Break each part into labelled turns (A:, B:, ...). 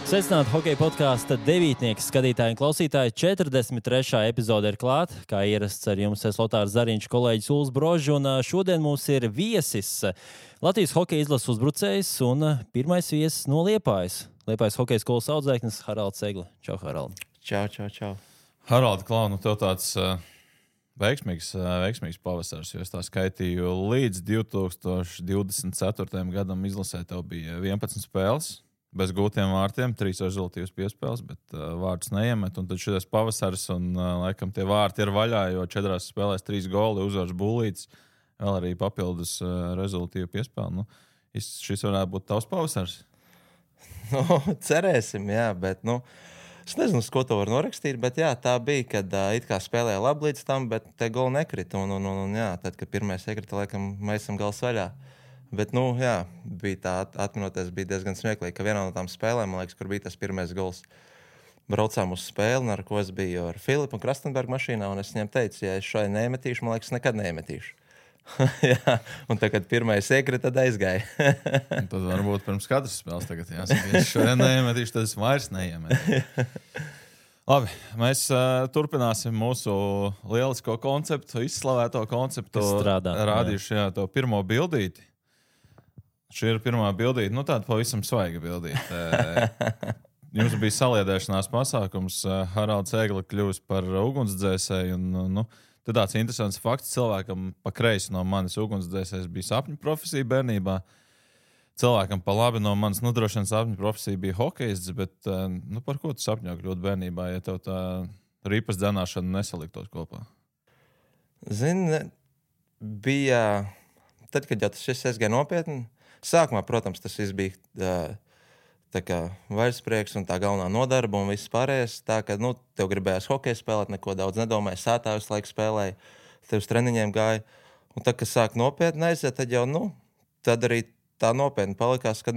A: Sveicināti hokeja podkāsta devītnieki, skatītāji un klausītāji. 43. epizode ir klāta. Kā ierasts ar jums, es Lotārs Zariņš, kolēģis Uls Brožs. Un šodien mums ir viesis Latvijas hokeja izlases uzbrucējs un pirmais viesis no Liepājas. Liepājas hokeja skolas audzēknis Haralds Segla. Čau, Harald.
B: Čau.
C: Harald, Klau, tev tāds veiksmīgs pavasars, jo es tā skaitīju līdz 2024. gadam izlasē tev bija 11 spēles. Bez gūtiem vārtiem, 3 rezultātus piespēles, bet vārtus neiemet. Un tad šis pavasaris, un laikam tie vārti ir vaļā, jo 4 spēlēs 3 goli, uzvars Bulīts, vēl arī papildus rezultātu piespēli. Šis varētu būt tavs pavasars.
B: Cerēsim, jā, bet es nezinu, uz ko to var norakstīt, bet jā, tā bija, kad it kā spēlēja labi līdz tam, bet te goli nekrita. Un jā, tad, kad pirmais iekrita, laikam mēs esam gals vaļā. Bet, jā, bija tā atminoties, bija diezgan smieklīgi, ka vienā no tām spēlēm, man liekas, kur bija tas pirmais gols, braucām uz spēli, ar ko es biju ar Filipu un Krastenbergu mašīnā, un es viņiem teicu, ja es šai neiemetīšu, man liekas, nekad neiemetīšu. Jā, un tad, kad pirmais iekrita, tad aizgāja.
C: Tad varbūt pirms katras spēles tagad jāsaka, ja es šodien neiemetīšu, tad es vairs neiemetīšu. Labi, mēs turpināsim mūsu lielisko konceptu, izslavēto konceptu. Rādīšu to pirmo bildīti. Šī ir pirmā bildīte, tāda pavisam svaiga bildīte. Jums bija saliedēšanās pasākums, Haralds Segla kļūst par ugunsdzēsēju. Tad tāds interesants fakts, cilvēkam pa kreisi no manis ugunsdzēsējs bija sapņu profesija bērnībā. Cilvēkam pa labi no manis droši vien sapņu profesija bija hokejists, bet par ko tu sapņo kļūt bērnībā, ja tev tā ripas dzenāšana nesaliktos kopā?
B: Zini, bija, tad, kad jau tas viss aizgāja nopietni, sākumā, protams, tas viss bija tā kā vairsprieks un tā galvenā nodarba un viss pārējais. Tā, ka, tev gribējās hokeju spēlēt, neko daudz nedomāja, sētā visu laiku spēlēja, tev uz treniņiem gāja. Un tad, kad sāk nopietni aiziet, tad jau, tad arī tā nopietni palikās, ka,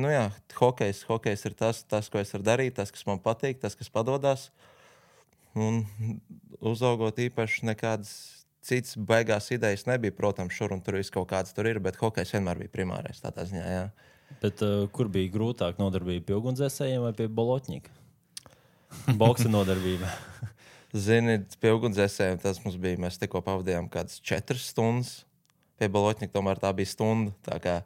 B: hokejs ir tas, ko es varu darīt, tas, kas man patīk, tas, kas padodas. Un uzaugot īpaši nekādas cits baigās idejas nebija, protams, šur un tur viss kaut kāds tur ir, bet hokejs vienmēr bija primārais tādā ziņā, jā.
A: Bet kur bija grūtāk nodarbība pie ugunsdzēsējiem vai pie bolotņika? Boksa nodarbība.
B: Zini, pie ugunsdzēsējiem tas mums bija, mēs tikko pavadījām kādas 4 stundas, pie bolotņika tomēr tā bija stunda, tā kā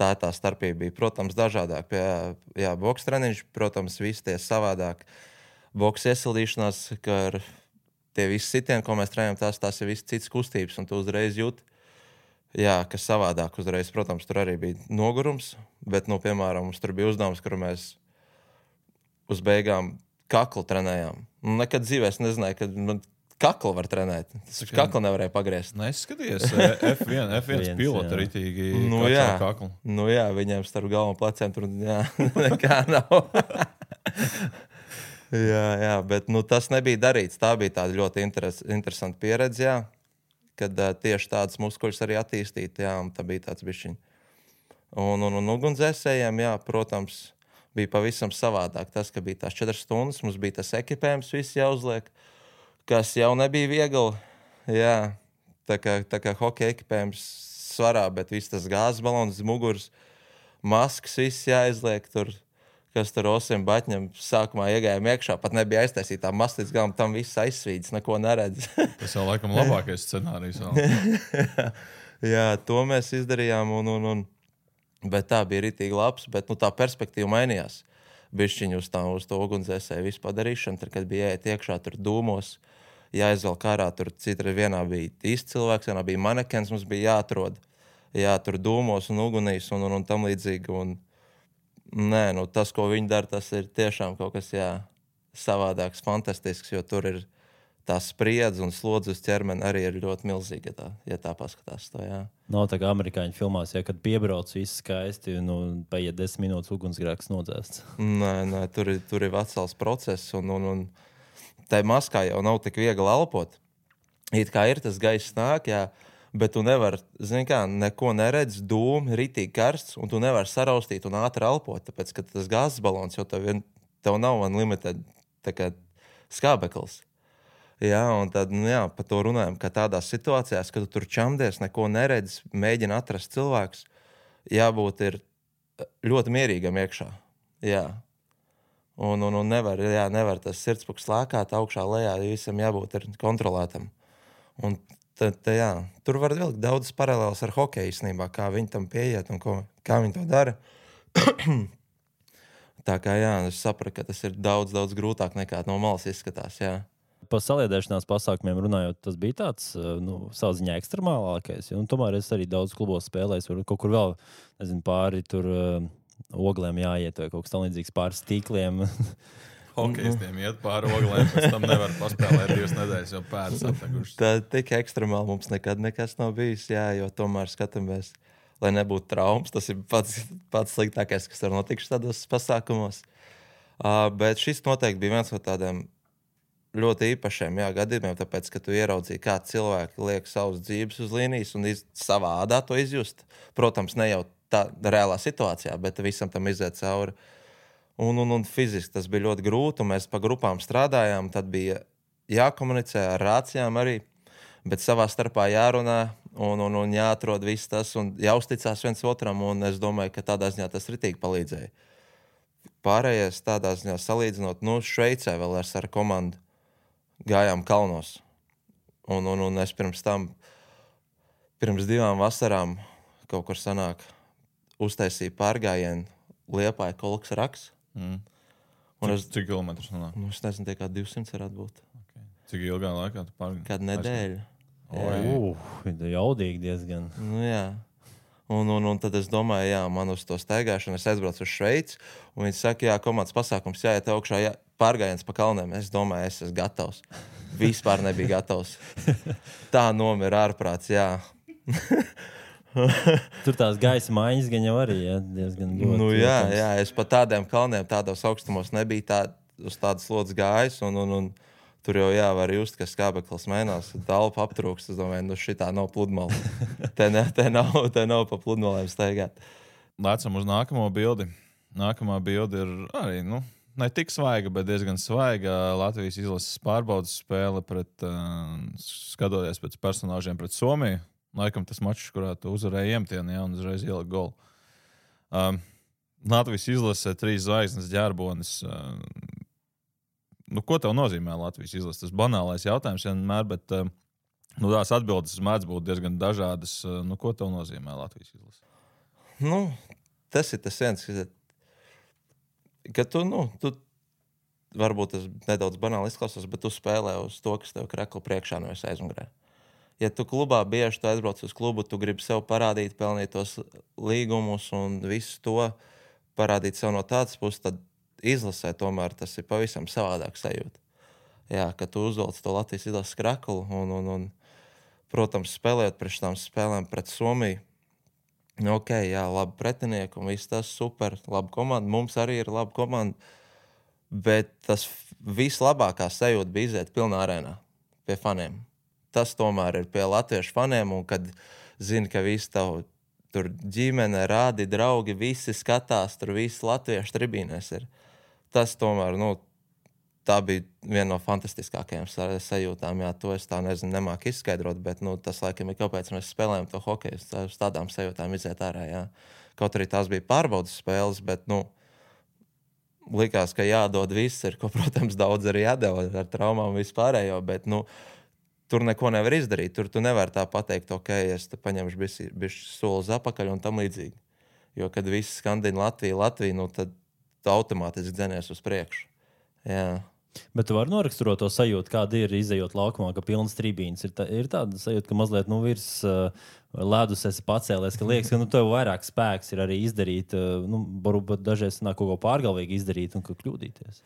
B: tā starpība bija, protams, dažādāk. Pie boksa treniņš, protams, visi tie savādāk. Boksa iesildīšanās, ka ar tie visi sitieni, ko mēs trenējam, tās ir visi citas kustības, un tu uzreiz jūti, kas savādāk uzreiz. Protams, tur arī bija nogurums, bet, piemēram, mums tur bija uzdevums, kur mēs uz beigām kaklu trenējām. Nekad dzīvē es nezināju, ka kaklu var trenēt. Tas kaklu nevarēja pagriezt.
C: Neskaties, F1 pilota ritīgi kaklu.
B: Jā, viņiem starp galvu un pleciem tur, nekā nav. Jā, bet tas nebija darīts. Tā bija tāda ļoti interesanta pieredze, jā, kad tieši tādas muskuļus arī attīstīt, jā, un tā bija tāds bišķiņ. Un ugunsdzēsējiem, jā, protams, bija pavisam savādāk. Tas, ka bija tās 4 stundas, mums bija tas ekipējums, viss jāuzliek, kas jau nebija viegli, jā, tā kā hokeja ekipējums svarā, bet viss tas gāzes balons, muguras, maskas, viss jāizliek tur. Kas tur osim baķņam sākumā iegājām iekšā, pat nebija aiztaisītā masta līdz galam, tam viss aizsvīdis, neko neredz.
C: Tas jau laikam labākais scenārijs.
B: Jā, to mēs izdarījām, bet tā bija ritīgi labs, bet tā perspektīva mainījās. Bišķiņu uz to ugunsdzēsēju visu padarīšanu, tad, kad bija jāiet iekšā tur dūmos, jāizvelk ārā, tur citra vienā bija īsts cilvēks, vienā bija manekens, mums bija jāatrod, tur dūmos un ugunīs un tam līdzīgi, tas, ko viņi dara, tas ir tiešām kaut kas, savādāks, fantastisks, jo tur ir tā spriedze un slodze uz ķermeni arī ir ļoti milzīga, ja tā paskatās to, jā.
A: Nav tā kā amerikāņu filmās, kad piebrauc viss skaisti un paiet 10 minūtes ugunsgrēks nodzēsts.
B: Nē, tur ir vesels process un tai maskā jau nav tik viegli elpot. It kā ir tas gaiss nāk, jā, bet tu nevari, neko neredz, dūmi, ritīgi karsts, un tu nevari saraustīt un ātri elpot, tāpēc, ka tas gāzes balons jau tev nav unlimited tā kā skābeklis. Jā, un tad, par to runājam, ka tādās situācijās, kad tu tur čamdies, neko neredz, mēģina atrast cilvēkus, jābūt ir ļoti mierīgam iekšā. Jā. Un nevar tas sirdspuks lākāt augšā lejā, visam jābūt ir kontrolētam. Un tur var vilkt daudzas paralēlas ar hokeju īstenībā, kā viņi tam pieiet un kā viņi to dara. Tā kā es sapratu, ka tas ir daudz grūtāk nekā no malas izskatās, jā.
A: Par saliedēšanās pasākumiem runājot, tas bija tāds, savā ziņā ekstremālākais. Un tomēr es arī daudz klubos spēlēju, varbūt kaut kur vēl, nezinu, pāri tur oglēm jāiet vai kaut kas tam līdzīgs pāri stīkliem.
C: Hokejistiem iet pāri oglēm, pēc tam nevar paspēlēt 2 nedēļas, jo pēdas aptegušas.
B: Tā tik ekstremāli mums nekad nekas nav bijis, jā, jo tomēr skatāmies, lai nebūtu traumas. Tas ir pats sliktākais, kas var notikt tādos pasākumos. Bet šis noteikti bija viens no tādiem ļoti īpašiem gadījumiem, tāpēc, ka tu ieraudzīji, kā cilvēki liek savus dzīves uz līnijas un savā ādā to izjust. Protams, ne jau tā reālā situācijā, bet visam tam iziet cauri. Un fiziski tas bija ļoti grūti, un mēs pa grupām strādājām, tad bija jākomunicē ar rācijām arī, bet savā starpā jārunā un jāatrod viss tas un jāuzticās viens otram, un es domāju, ka tādā ziņā tas ritīgi palīdzēja. Pārējais tādā ziņā salīdzinot, Šveicē vēl ar komandu gājām kalnos, un es pirms 2 vasarām kaut kur sanāk uztaisīja pārgājienu Liepāja Kolkas Raks.
C: Cik kilometrus nonāk?
B: Es nezinu, tie kā 200 varētu būt.
C: Okay. Cik ilgā laikā tu pārgāji?
B: Kādu nedēļu.
A: Jaudīgi diezgan.
B: Jā. Un tad es domāju, man uz to staigāšanu es aizbraucu uz Šveici, un viņi saka, komandas pasākums jāiet augšā, pārgājiens pa kalniem. Es domāju, es esmu gatavs. Vispār nebija gatavs. Tā nomira ārprāts, jā.
A: Tur tās gaisa maiņas gan jau arī diezgan ļoti.
B: Jā, es pa tādiem kalniem, tādos augstumos nebiju uz tādas slodzes gājis, un tur jau var just, ka skābeklis mainās, dalpa aptrūkst. Es domāju, šitā nav pludmale. te nav pa pludmalēm staigāt.
C: Lēcam uz nākamo bildi. Nākamā bilde ir arī, ne tik svaiga, bet diezgan svaiga Latvijas izlases pārbaudas spēle skatoties pēc personāžiem pret Somiju. Laikam tas mačs, kurā tu uzvarēji iemtieni, un uzreiz ielika golu. Latvijas izlase 3 zvaigznes ģērbonis. Ko tev nozīmē Latvijas izlase? Tas banālais jautājums vienmēr, bet tās atbildes mēdz būt diezgan dažādas. Ko tev nozīmē Latvijas izlase?
B: Tas ir tas viens, ka tu varbūt tas nedaudz banāli izklausās, bet tu spēlē uz to, kas tev krekla priekšā nevis aizmugurē. Ja tu klubā bieži tu aizbrauc uz klubu, tu gribi sev parādīt, pelnīt tos līgumus un visu to parādīt sev no tādas puses, tad izlasē tomēr tas ir pavisam savādāk sajūta. Jā, ka tu uzvelc to Latvijas izlases kreklu un protams, spēlējot pret tām spēlēm pret Somiju. Labi pretinieki un viss tas super, laba komanda. Mums arī ir laba komanda, bet tas vislabākā sajūta bija iziet pilnā arēnā pie faniem. Tas tomēr ir pie latviešu faniem, un kad zini, ka visi tavu tur ģimene, rādi, draugi, visi skatās, tur visi latviešu tribīnēs ir. Tas tomēr, tā bija viena no fantastiskākajām sajūtām. Jā, to es tā nemāku izskaidrot, bet tas laikam ir kāpēc mēs spēlējam to hokeju. Uz tādām sajūtām iziet ārā, jā. Kaut arī tās bija pārbaudas spēles, bet, likās, ka jādod viss ir, ko, protams, daudz arī jādeva ar traumām vispārējo, bet, tur neko nevar izdarīt. Tur tu nevari tā pateikt, es te paņemšu bišķi soli uz apakaļ un tam līdzīgi. Jo, kad viss skandina Latviju, tad tu automātiski dzenies uz priekšu. Jā.
A: Bet tu vari noraksturot to sajūtu, kāda ir izejot laukumā, ka pilnas tribīnes. Ir tāda sajūta, ka mazliet virs ledus esi pacēlies, ka liekas, ka tev vairāk spēks ir arī izdarīt, varbūt dažreiz nāk kaut ko pārgalvīgi izdarīt un kļūdīties.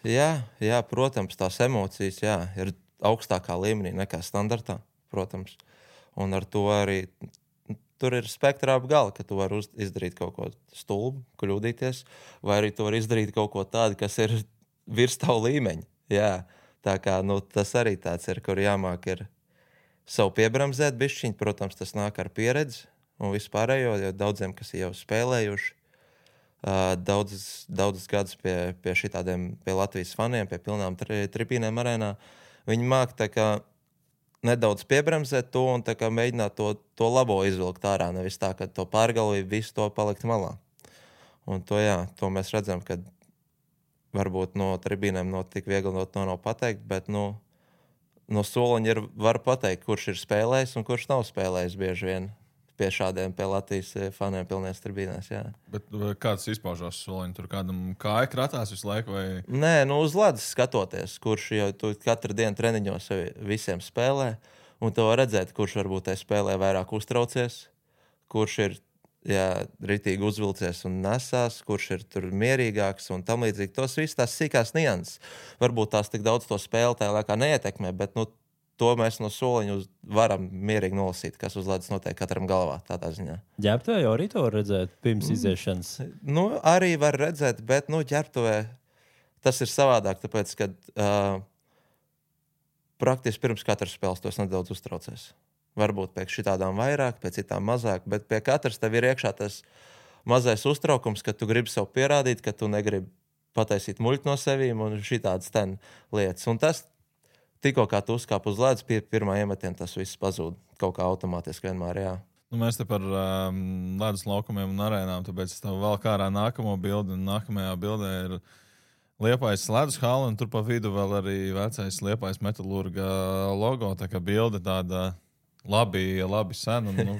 B: Jā, protams, tās emocijas, ir augstākā līmenī nekā standartā, protams. Un ar to arī tur ir spektra ap gali, ka tu vari izdarīt kaut ko stulbu, kļūdīties, vai arī tu vari izdarīt kaut ko tādu, kas ir virs tavu līmeņa. Jā, tā kā tas arī tāds ir, kur jāmāk ir savu piebremzēt bišķiņu. Protams, tas nāk ar pieredzi un vispārējo, jo daudziem, kas jau spēlējuši, daudzus gadus pie šitādiem, pie Latvijas faniem, pie pilnām tribīnēm arēnā, viņi māk tā kā nedaudz piebremzēt to un tā kā mēģināt to labo izvilkt ārā, nevis tā, ka to pārgalvību visu to palikt malā. Un to mēs redzam, ka varbūt no tribīnēm tik viegli to nav pateikt, bet no soliņa var pateikt, kurš ir spēlējis un kurš nav spēlējis bieži vien pie šādiem, pie Latvijas faniem pilnēs tribīnēs, jā.
C: Bet kāds izpaužās soliņi? Tur kādam kāja kratās visu laiku? Vai...
B: Nē, uz ledus skatoties, kurš jau tu katru dienu treniņos visiem spēlē, un tu var redzēt, kurš varbūt spēlē vairāk uztraucies, kurš ir ritīgi uzvilcies un nesās, kurš ir tur mierīgāks un tam līdzīgi. Tos viss tās sīkās nianses. Varbūt tās tik daudz to spēli tajā laikā neietekmē, bet to mēs no soliņa varam mierīgi nolasīt, kas uz ledus notiek katram galvā tādā ziņā.
A: Ģērbtuvē jau arī to var redzēt pirms iziešanas?
B: Arī var redzēt, bet ģērbtuvē tas ir savādāk, tāpēc, ka praktiski pirms katras spēles tos nedaudz uztraucies. Varbūt pēc šitādām vairāk, pēc citām mazāk, bet pie katras tev ir iekšā tas mazais uztraukums, ka tu gribi sev pierādīt, ka tu negribi pataisīt muļķi no sevīm un šitādas lietas. Un tas tikko kā tu uzkāp uz ledus, pie pirmā iemetiena tas viss pazūd. Kaut kā automātiski vienmēr, jā.
C: Mēs te par ledus laukumiem un arēnām, tāpēc es tev vēl kārā nākamo bildi, un nākamajā bildē ir Liepājas ledus hala, un tur pa vidu vēl arī vecais Liepājas metalurga logo, tā kā bilde tāda labi sen. Un,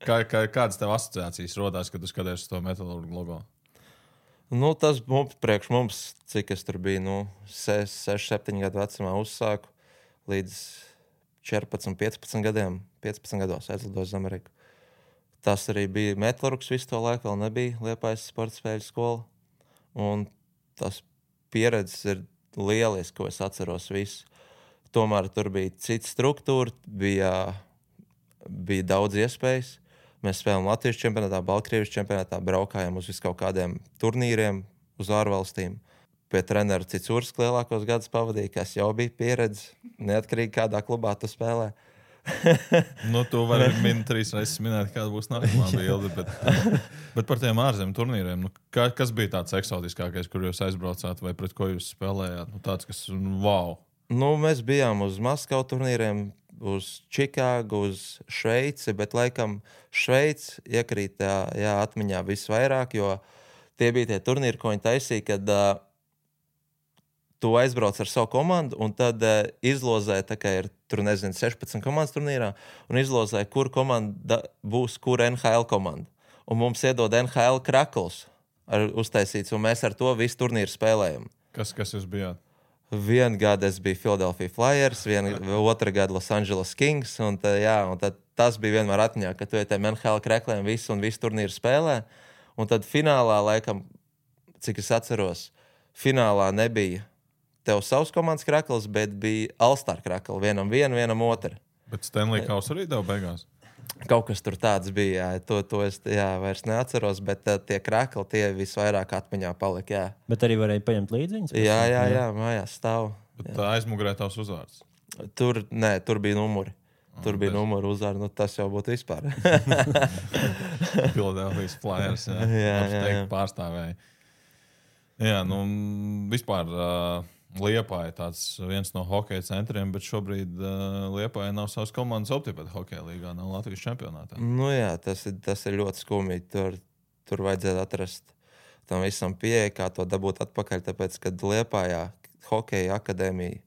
C: kādas tev asociācijas rodās, kad tu skaties uz to metalurga logo?
B: Tas priekš mums, cik es tur biju, 6-7 gadu vecumā uzsāku, līdz 14-15 gadiem, 15 gados aizlidoju uz Ameriku. Tas arī bija metalurgs visu to laiku, vēl nebija Liepājas sporta spēļu skola. Un tas pieredzes ir lieliski, ko es atceros visu. Tomēr tur bija cita struktūra, bija daudz iespējas. Mēs spēlējām Latvijas čempionātā, Baltkrievijas čempionātā, braukājām uz viskaut kādiem turnīriem, uz ārvalstīm. Pie trenera Citsurs lielākos gadus pavadīja, kas jau bija pieredze, neatkarīgi kādā klubā tu spēlē.
C: Tu vari 3 reizes minēt, kāda būs nākamā bilde, bet par tiem ārzemju turnīriem, kas bija tāds eksotiskākais, kur jūs aizbraucāt vai pret ko jūs spēlējāt? Tāds, kas wow!
B: Mēs bijām uz Maskavu turnīriem, uz Čikāgu, uz Šveici, bet laikam Šveici iekrīt atmiņā visvairāk, jo tie bija tie turnīri, ko viņi taisīja, kad tu aizbrauc ar savu komandu un tad izlozē, tā kā ir tur, 16 komandas turnīrā, un izlozē, kur komanda būs, kur NHL komanda. Un mums iedod NHL krakls uztaisīts, un mēs ar to visu turnīru spēlējam.
C: Kas jūs bijāt?
B: Vienu gadu es biju Philadelphia Flyers, otru gadu Los Angeles Kings, un tad tas bija vienmēr atmiņā, ka tu tiem NHL krakliem visu turnīru spēlē, un tad finālā, laikam, cik es atceros, finālā nebija tev savs komandas krakls, bet bija All-Star krakli, vienam otru.
C: Bet Stanley Kauss arī tev beigās?
B: Kaut kas tur tāds bija, to es vairs neatceros, bet tie krakli, tie visvairāk atmiņā palika, jā.
A: Bet arī varēja paņemt līdziņas?
B: Jā, mājās stāv.
C: Bet tā aizmugurē tavs uzvārds?
B: Tur bija numuri. Tur bija numuru uzvārds, tas jau būtu vispār.
C: Philadelphia Flyers, jā. Pārstāvēja. Jā, vispār Liepāja tāds viens no hokeja centriem, bet šobrīd Liepāja nav savas komandas optipēta hokeja līgā, nav Latvijas čempionātā.
B: Jā, tas ir ļoti skumji. Tur vajadzētu atrast tam visam pieeja, kā to dabūt atpakaļ, tāpēc, kad Liepājā hokeja akadēmija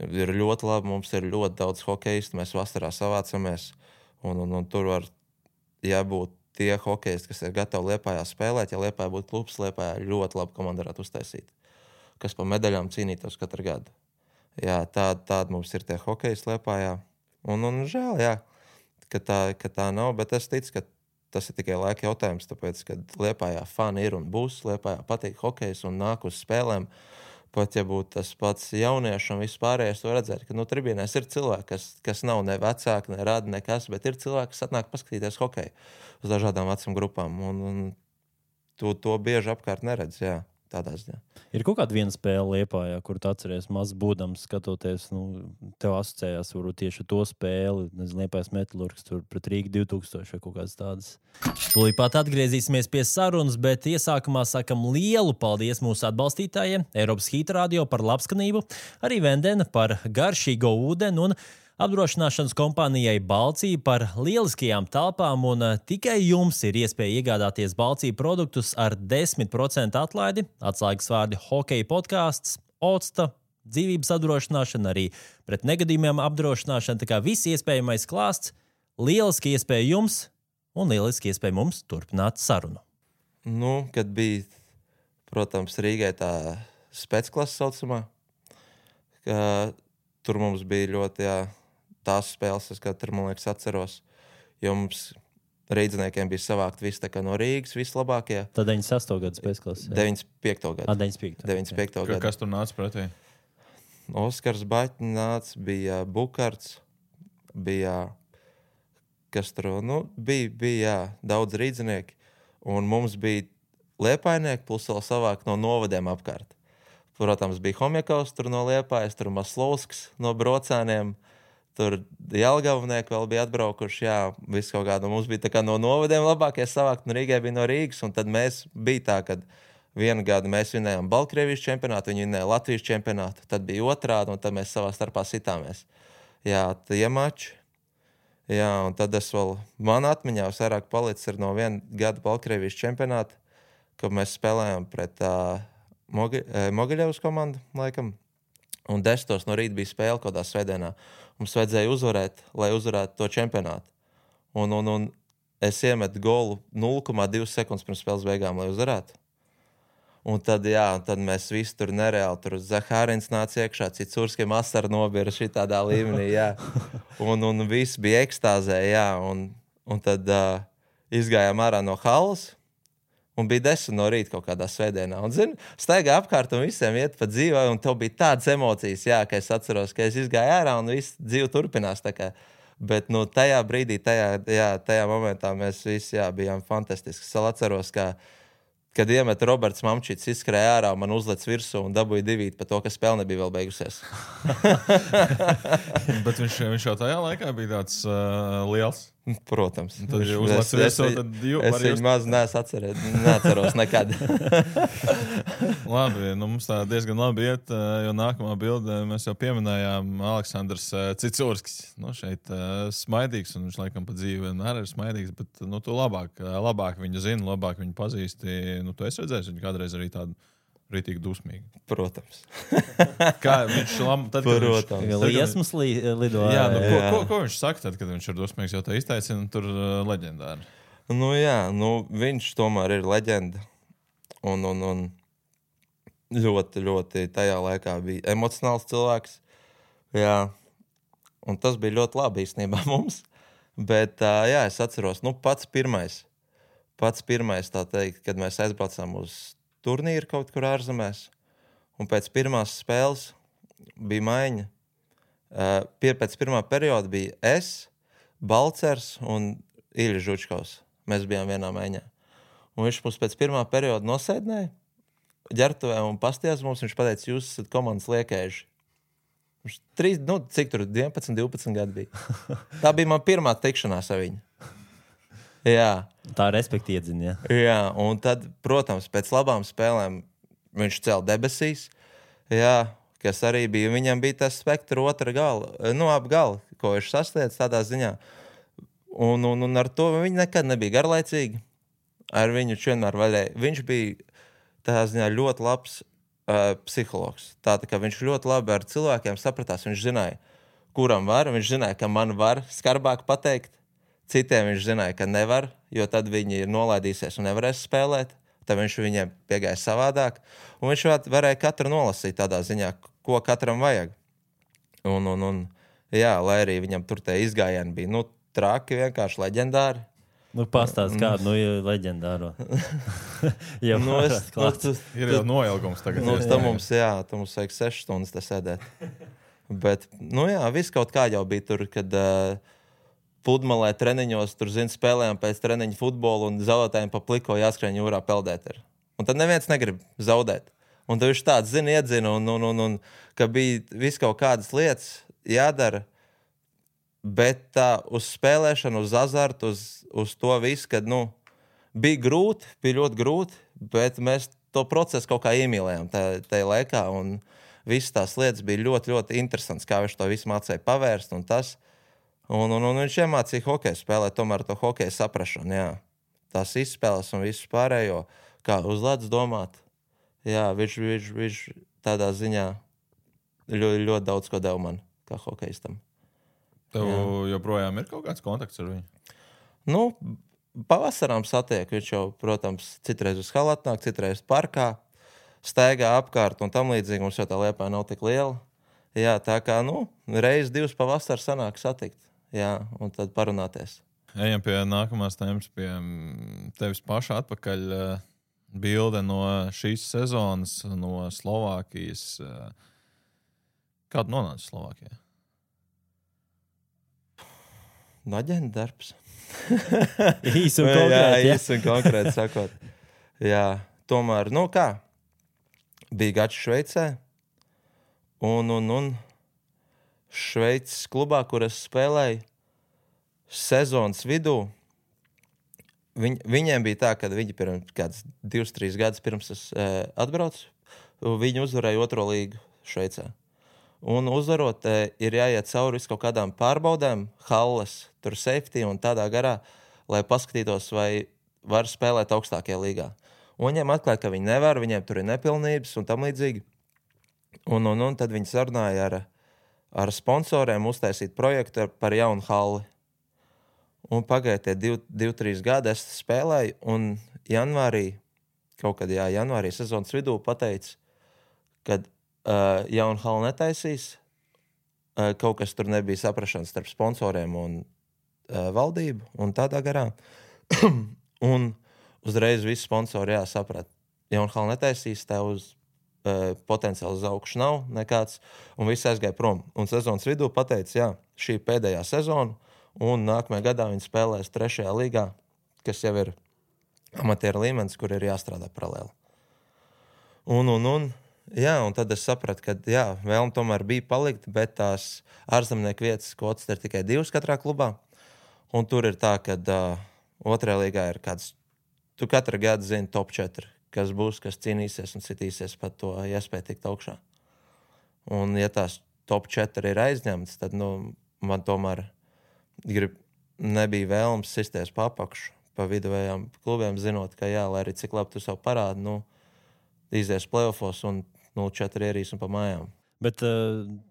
B: ir ļoti labi, mums ir ļoti daudz hokeistu, mēs vasarā savācamies, un tur var jābūt tie hokeisti, kas ir gatavi Liepājā spēlēt. Ja Liepājā būtu klubs, Liepājā ļoti labi komanda varētu uztaisīt, kas pa medaļām cīnītos katru gadu. Jā, tāda mums ir tie hokeisti Liepājā. Un žēl, jā, ka tā nav, bet es ticu, ka tas ir tikai laika jautājums, tāpēc, ka Liepājā fani ir un būs, Liepājā patīk hokejs un nāk uz spēlēm. Pat ja būtu tas pats jaunieši un viss pārējais, to redzēt, ka tribīnēs ir cilvēki, kas nav ne vecāki, ne rada nekas, bet ir cilvēki, kas atnāk paskatīties hokeju uz dažādām vecuma grupām. Un to bieži apkārt neredz, jā, tādā ziņā.
A: Ir kaut kāda viena spēle Liepājā, kur tu atceries mazs būdams, skatoties, tev asociējās varbūt tieši to spēli, Liepājas metalurgs tur pret Rīgu 2000 vai kaut kādas tādas. Tūlīt pat atgriezīsimies pie sarunas, bet iesākumā sakam lielu paldies mūsu atbalstītājiem, Eiropas Hīta radio par labskanību, arī Vendena par garšīgo ūdeni un Apdrošināšanas kompānijai Balcija par lieliskajām telpām un tikai jums ir iespēja iegādāties Balcija produktus ar 10% atlaidi. Atslēgas vārdi hokeja podkāsts, Otsta, dzīvības apdrošināšana, arī pret negadījumiem apdrošināšana. Tā kā viss iespējamais klāsts, lieliski iespēja jums un lieliski iespēja mums turpināt sarunu.
B: Nu, kad bija, protams, Rīgai tā specklasa saucamā, ka tur mums bija ļoti, tās spēles, es katru, man liekas, atceros, jo mums rīdziniekiem bija savākt visi tā kā no Rīgas, vislabākie.
A: Tad 98. gadu spēcklasa.
B: 95. gadu.
A: 95.
B: gadu.
C: Kas tur nāca pretī?
B: Oskars Baķņs nāca, bija Bukarts, bija, kas tur, bija daudz rīdzinieki, un mums bija Liepainieki, plus vēl savāk no novadiem apkārt. Protams, bija Homjakovs tur no Liepājas, tur Maslovskis no Brocēniem, tur Jelgavnieki vēl bija atbraukuši, viss kaut kādu. Mums bija tā kā no novadiem labākie savākt, un Rīgai bija no Rīgas, un tad mēs bija tā, kad vienu gadu mēs vinējām Baltkrievijas čempionātu, viņi vinēja Latvijas čempionātu, tad bija otrādi, un tad mēs savā starpā sitāmies. Tie mači. Un tad es vēl, man atmiņā vairāk palicis ir no viena gada Baltkrievijas čempionāta, kad mēs spēlējām pret Mogiļevas komandu, laikam, un 10 no rīta bija spēle kādā svētdienā. Mums vajadzēja uzvarēt, lai uzvarētu to čempionātu. Un es iemetu golu 0,2 sekundes pirms spēles beigām, lai uzvarētu. Un tad, tad mēs visi tur nereāli, tur Zahārins nāca iekšā, Cicurskiem asara nobira šitādā līmenī, Un visi bija ekstāzē, un tad izgājām ārā no halas, un bija 10 no rīta kaut kādā svētdienā. Un, staigā apkārt un visiem iet pa dzīvē, un tev bija tādas emocijas, ka es atceros, ka es izgāju ārā un viss dzīve turpinās. Bet tajā brīdī, tajā momentā mēs visi bijām fantastiski. Es atceros, kad iemet Roberts Mamčits, izskrēja ārā, man uzlec virsū un dabūja 2 par to, ka spēle nebija vēl beigusies.
C: Bet viņš jau tajā laikā bija tāds liels.
B: Protams.
C: Tad jau uzlec virsū, tad
B: es viņu maz neatceros nekad.
C: Labi, mums tā diezgan labi iet, jo nākamā bilde mēs jau pieminējām Aleksandrs Cicurskis. Šeit smaidīgs, un viņš laikam pa dzīvi vienmēr ir smaidīgs, bet tu labāk viņu zini, labāk viņu pazīsti. Tu esi redzējis viņu kādreiz arī tādu rītīgi dusmīgi.
B: Protams.
C: Kā viņš
A: liesmas lido.
C: Ko viņš saka tad, kad viņš ir dusmīgs, jo tā izteicina tur leģendāri?
B: Viņš tomēr ir leģenda. Un ļoti, ļoti tajā laikā bija emocionāls cilvēks. Un tas bija ļoti labi īstenībā mums. Bet, es atceros, pats pirmais, tā teikt, kad mēs aizbraucām uz turnīru kaut kur ārzemēs, un pēc pirmās spēles bija maiņa. Pēc pirmā perioda bija es, Balcers un Iļa Žučkovs. Mēs bijām vienā maiņā. Un viņš mums pēc pirmā perioda nosēdināja ģertuvē un pastījās mums, viņš pateica, jūs esat komandas liekēži. Viņš cik tur 11, 12 gadi bija. Tā bija man pirmā tikšanās ar viņu.
A: Tā respekti iedzina,
B: un tad, protams, pēc labām spēlēm viņš cēla debesīs, kas arī bija, viņam bija tas spektra otra gala, ap gala, ko viņš sasniedz tādā ziņā. Un ar to viņi nekad nebija garlaicīgi. Ar viņu vienmēr vaļēja. Viņš bija tādā ziņā ļoti labs psihologs. Tā kā viņš ļoti labi ar cilvēkiem sapratās, viņš zināja, kuram var, viņš zināja, ka man var skarbāk pateikt. Citiem viņš zināja, ka nevar, jo tad viņi ir nolaidīsies un nevarēs spēlēt. Tad viņš viņiem piegāja savādāk. Un viņš varēja katru nolasīt tādā ziņā, ko katram vajag. Lai arī viņam tur tie izgājieni bija traki, vienkārši leģendāri.
A: Pastāst kādu leģendāro.
C: Ir jau noilgums tagad.
B: Mums vajag 6 stundas te sēdēt. Bet, viss kaut kā jau bija tur, kad pludmalē treniņos, tur spēlējām pēc treniņa futbolu un zaudētājiem pa pliko jāskrien jūrā peldēt. Un tad neviens negrib zaudēt. Un tad viņš tāds iedzina, un ka bija viss kaut kādas lietas jādara, bet tā uz spēlēšanu, uz azartu, uz to visu, kad, bija grūti, bija ļoti grūti, bet mēs to procesu kaut kā iemīlējām tajā laikā. Un visas tās lietas bija ļoti, ļoti interesants, kā viņš to visu mācīja pavērst un tas. Un viņš iemācīja hokeju spēlēt, tomēr to hokeju saprašanu, jā. Tās izspēles un visu pārējo, kā uz ledus domāt. Jā, viņš tādā ziņā ļoti, ļoti daudz ko deva man, kā hokejistam.
C: Tev joprojām ir kaut kāds kontakts ar viņu?
B: Nu, pavasarām satiek, viņš jau, protams, citreiz uz halatu nāk, citreiz parkā, staigā apkārt un tam līdzīgi, mums jau tā Liepāja nav tik liela. Jā, tā kā, reiz, divas pavasar sanāk satikt, jā, un tad parunāties.
C: Ejam pie nākamās tēmas, pie tevis paša atpakaļ bilde no šīs sezonas, no Slovākijas. Kādu nonāca Slovākijā?
B: Aģenta darbs.
A: Īsi un konkrēti.
B: Jā, īsi un konkrēti sakot. Jā, tomēr, kā? Bija gads Šveicē. Un Šveices klubā, kur es spēlēju, sezonas vidū, viņiem bija tā, ka viņi pirms kāds 2-3 gadus pirms es atbraucu, viņi uzvarēja 2. līgu Šveicē. Un uzvarot, ir jāiet cauri visu kaut kādām pārbaudēm, halles, tur safety un tādā garā, lai paskatītos, vai var spēlēt augstākajā līgā. Un viņiem atklāja, ka viņi nevar, viņiem tur ir nepilnības un tam līdzīgi. Un tad viņi sarunāja ar sponsoriem uztaisīt projektu par jaunu halli. Un pagāja tie 2-3 gadi, es spēlēju, un janvārī sezonas vidū pateica, kad jaunu halli netaisīs, kaut kas tur nebija saprašanas starp sponsoriem un valdību un tādā garā. Un uzreiz visi sponsori saprat, jaunu halli netaisīs, tev uz potenciāli uz augšu nav nekāds, un viss aizgāja prom. Un sezonas vidū pateica, šī pēdējā sezona, un nākamajā gadā viņi spēlēs 3. līgā, kas jau ir amatieru līmenis, kur ir jāstrādā paralēli. Un tad es sapratu, ka vēlme tomēr bija palikt, bet tās ārzemnieku vietas kvotas ir tikai 2 katrā klubā. Un tur ir tā, ka 2. līgā ir kāds, tu katru gadu zini top 4, kas būs, kas cīnīsies un citīsies pat to iespēju tikt augšā. Un ja tās top 4 ir aizņemtas, tad man tomēr nebija vēlams sisties pa apakšu, pa viduvējām klubiem, zinot, ka lai arī cik labi tu savu parādi, izies play-offos un 0-4 ierīs un pa mājām.
A: Bet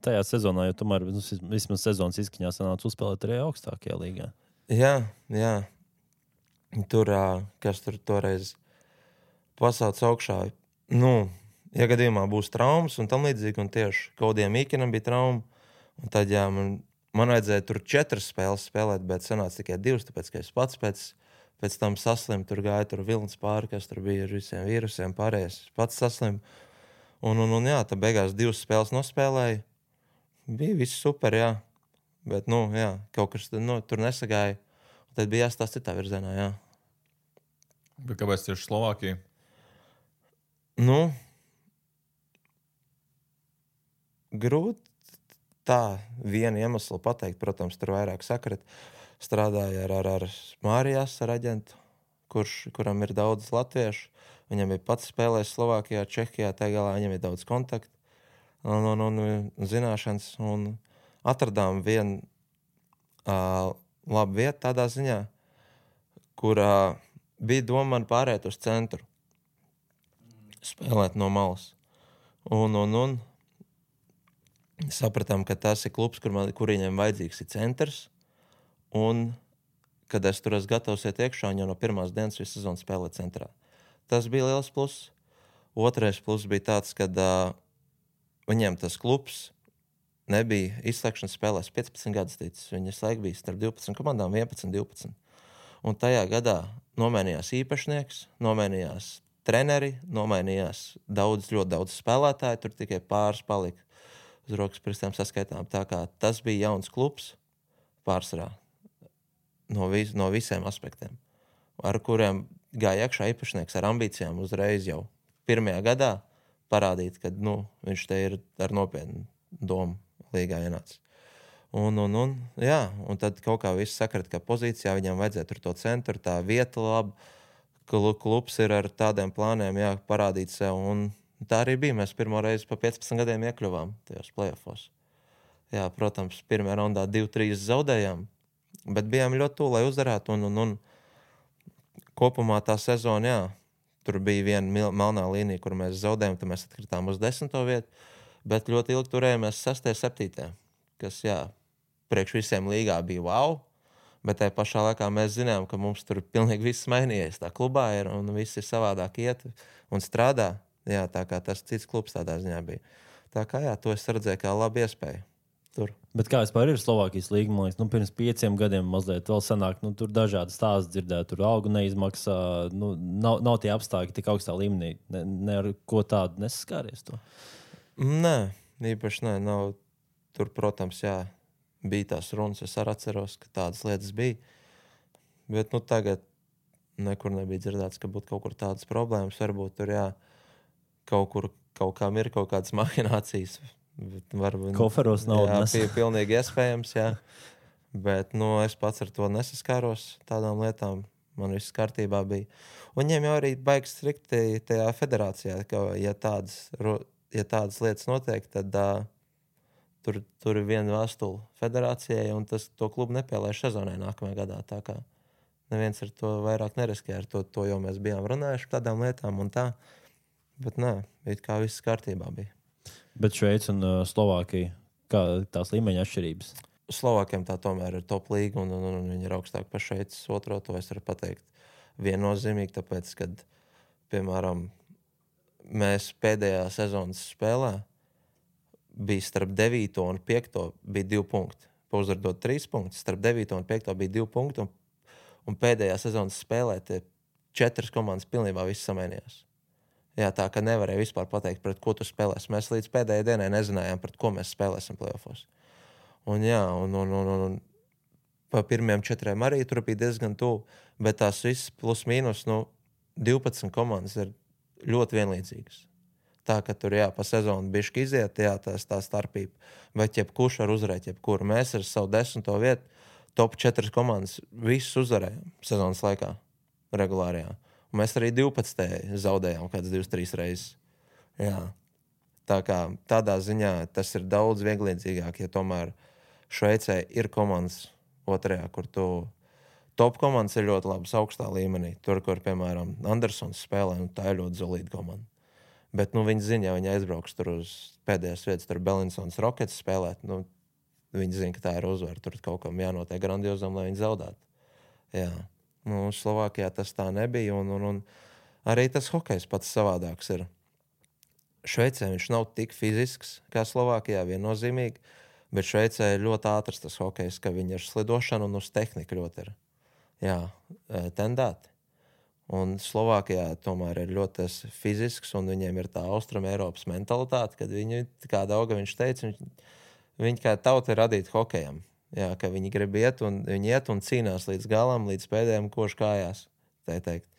A: tajā sezonā, jo tomēr vismaz sezonas izskaņā sanāca uzspēlēt arī augstākajā līgā.
B: Jā. Tur, kas tur toreiz pasauc augšā, ja gadījumā būs traumas un tam līdzīgi, un tieši Kaudijam Īkinam bija trauma, un tad, man vajadzēja tur 4 spēles spēlēt, bet sanāca tikai 2, tāpēc, ka es pats pēc tam saslimu, tur gāja tur vilnis pāri, kas tur bija ar visiem vīrusiem, pārējais pats saslimu. Un tad beigās 2 spēles nospēlēju. Bija viss super, bet, kaut kas tur nesagāja. Un tad bija jāstāsta citā virzienā,
C: Bet kāpēc tieši Slovākija?
B: Grūti tā vienu iemeslu pateikt. Protams, tur vairāk sakrat. Strādāja ar Mārijas, ar aģentu, kuram ir daudz latviešu. Viņam bija pats spēlējis Slovākijā, Čehijā, tā galā viņam ir daudz kontaktu un zināšanas. Un atradām vienu labu vietu tādā ziņā, kurā bija doma man pārēt uz centru, spēlēt no malas. Un sapratām, ka tas ir klubs, kur viņiem vajadzīgs ir centrs. Un kad es tur esmu gatavs iet iekšā, jau no pirmās dienas visu sezonu spēlēt centrā. Tas bija liels pluss. Otrais pluss bija tāds, ka viņiem tas klubs nebija izslēgšanas spēlēs 15 gadus ticis. Viņi slaik bija starp 12 komandām, 11-12. Un tajā gadā nomainījās īpašnieks, nomainījās treneri, nomainījās ļoti daudz spēlētāju, tur tikai pāris palika uz rokas pirkstiem saskaitām. Tā kā tas bija jauns klubs pārsvarā no visiem aspektiem, ar kuriem gāja iekšā īpašnieks ar ambīcijām uzreiz jau pirmajā gadā parādīt, ka viņš te ir ar nopietnu domu līgā ienācis. Un tad kaut kā viss sakrat, ka pozīcijā viņam vajadzēja tur to centru, tā vieta laba, klubs ir ar tādiem plāniem parādīt sev un Tā arī bija. Mēs pirmo reizi pa 15 gadiem iekļuvām tajos playoffos. Jā, protams, pirmajā raundā 2-3 zaudējām, bet bijām ļoti tuvu, lai uzvarētu. Un kopumā tā sezona, jā, tur bija viena melnā līnija, kur mēs zaudējām, tad mēs atkritām uz 10. vietu, bet ļoti ilgi turējāmies 6. 7. kas, jā, priekš visiem līgā bija wow, bet tajā pašā laikā mēs zinām, ka mums tur pilnīgi viss mainījies. Tā klubā ir un viss ir savādāk iet un strādā. Jā, tā kā tas cits klubs tādā ziņā bija. Tā kā jā, to es redzēju kā labu iespēju. Tur.
A: Bet kā vispār ir Slovākijas līga? Man liekas, pirms 5 gadiem mazliet vēl senāk, tur dažādi stāsti dzirdēt, tur algu neizmaksā, nav tie apstākļi tik augstā līmenī. Ne ar ko tādu nesaskāries to?
B: Nē, īpaši nē. Nav. Tur, protams, jā, bija tās runas. Es arī atceros, ka tādas lietas bija. Bet tagad nekur nebija dzirdēts, ka būtu kaut kur tādas problēmas. Varbūt tur, jā, kaut kam ir kaut kādas mahinācijas. Varbūt,
A: koferos naudas.
B: Jā, pilnīgi iespējams, jā. Bet es pats ar to nesaskāros tādām lietām. Man viss kārtībā bija. Un viņiem jau arī baigs strikti tajā federācijā, ka ja tādas lietas notiek, tad tur ir viena vēstule federācijai un to klubu nepielaiž sezonai nākamajā gadā. Tā kā neviens ar to vairāk neriskē. Ar to jau mēs bijām runājuši par tādām lietām un tā. Bet nē, it kā viss kārtībā bija.
A: Bet Šveice un Slovākija, kā tās līmeņa atšķirības?
B: Slovākiem tā tomēr ir top līga un viņi ir augstāk par Šveices otro. To es varu pateikt viennozīmīgi, tāpēc, kad, piemēram, mēs pēdējā sezonas spēlē bija starp 9. un 5. bija 2 punkti. Pauzvardot 3 punktus, starp 9. un 5. bija 2 punkti un pēdējā sezonas spēlē tie 4 komandas pilnībā viss samainījās. Jā, tā ka nevarēja vispār pateikt, pret ko tu spēlēsi. Mēs līdz pēdējai dienai nezinājām, pret ko mēs spēlēsim playoffos. Un jā, un pa pirmiem 4 arī tur bija diezgan tuvu, bet tās viss plus mīnus, 12 komandas ir ļoti vienlīdzīgas. Tā, ka tur, jā, pa sezonu bišķi iziet, jā, tā starpība. Bet jebkurš var uzvarēt, jebkuru. Mēs ar savu 10. vietu top 4 komandas visus uzvarējām sezonas laikā, regulārajā. Un mēs arī 12. zaudējām kāds 2-3 reizes. Jā. Tā kā tādā ziņā tas ir daudz vienlīdzīgāk, ja tomēr Šveicē ir komandas otrajā, kur top komandas ir ļoti labas augstā līmenī. Tur, kur, piemēram, Andersons spēlē, tā ir ļoti solīda komanda. Bet viņi zina, ja viņi aizbrauks tur uz pēdējās vietas, tur Belinsons Rockets spēlēt, viņi zina, ka tā ir uzvara. Tur kaut kam jānotiek grandiozam, lai viņi zaudētu. Jā. Slovākijā tas tā nebija, un arī tas hokejs pats savādāks ir. Šveicē viņš nav tik fizisks kā Slovākijā, viennozīmīgi, bet Šveicē ir ļoti ātrs tas hokejs, ka viņi ar slidošanu un uz tehniku ļoti ir tendēti. Un Slovākijā tomēr ir ļoti fizisks, un viņiem ir tā Austrum Eiropas mentalitāte, kad viņi, kā Dauga viņš teica, viņi kā tauta ir radīti hokejam. Jā, ka viņi grib iet un cīnās līdz galam, līdz pēdējiem košu kājās. Tā teikt.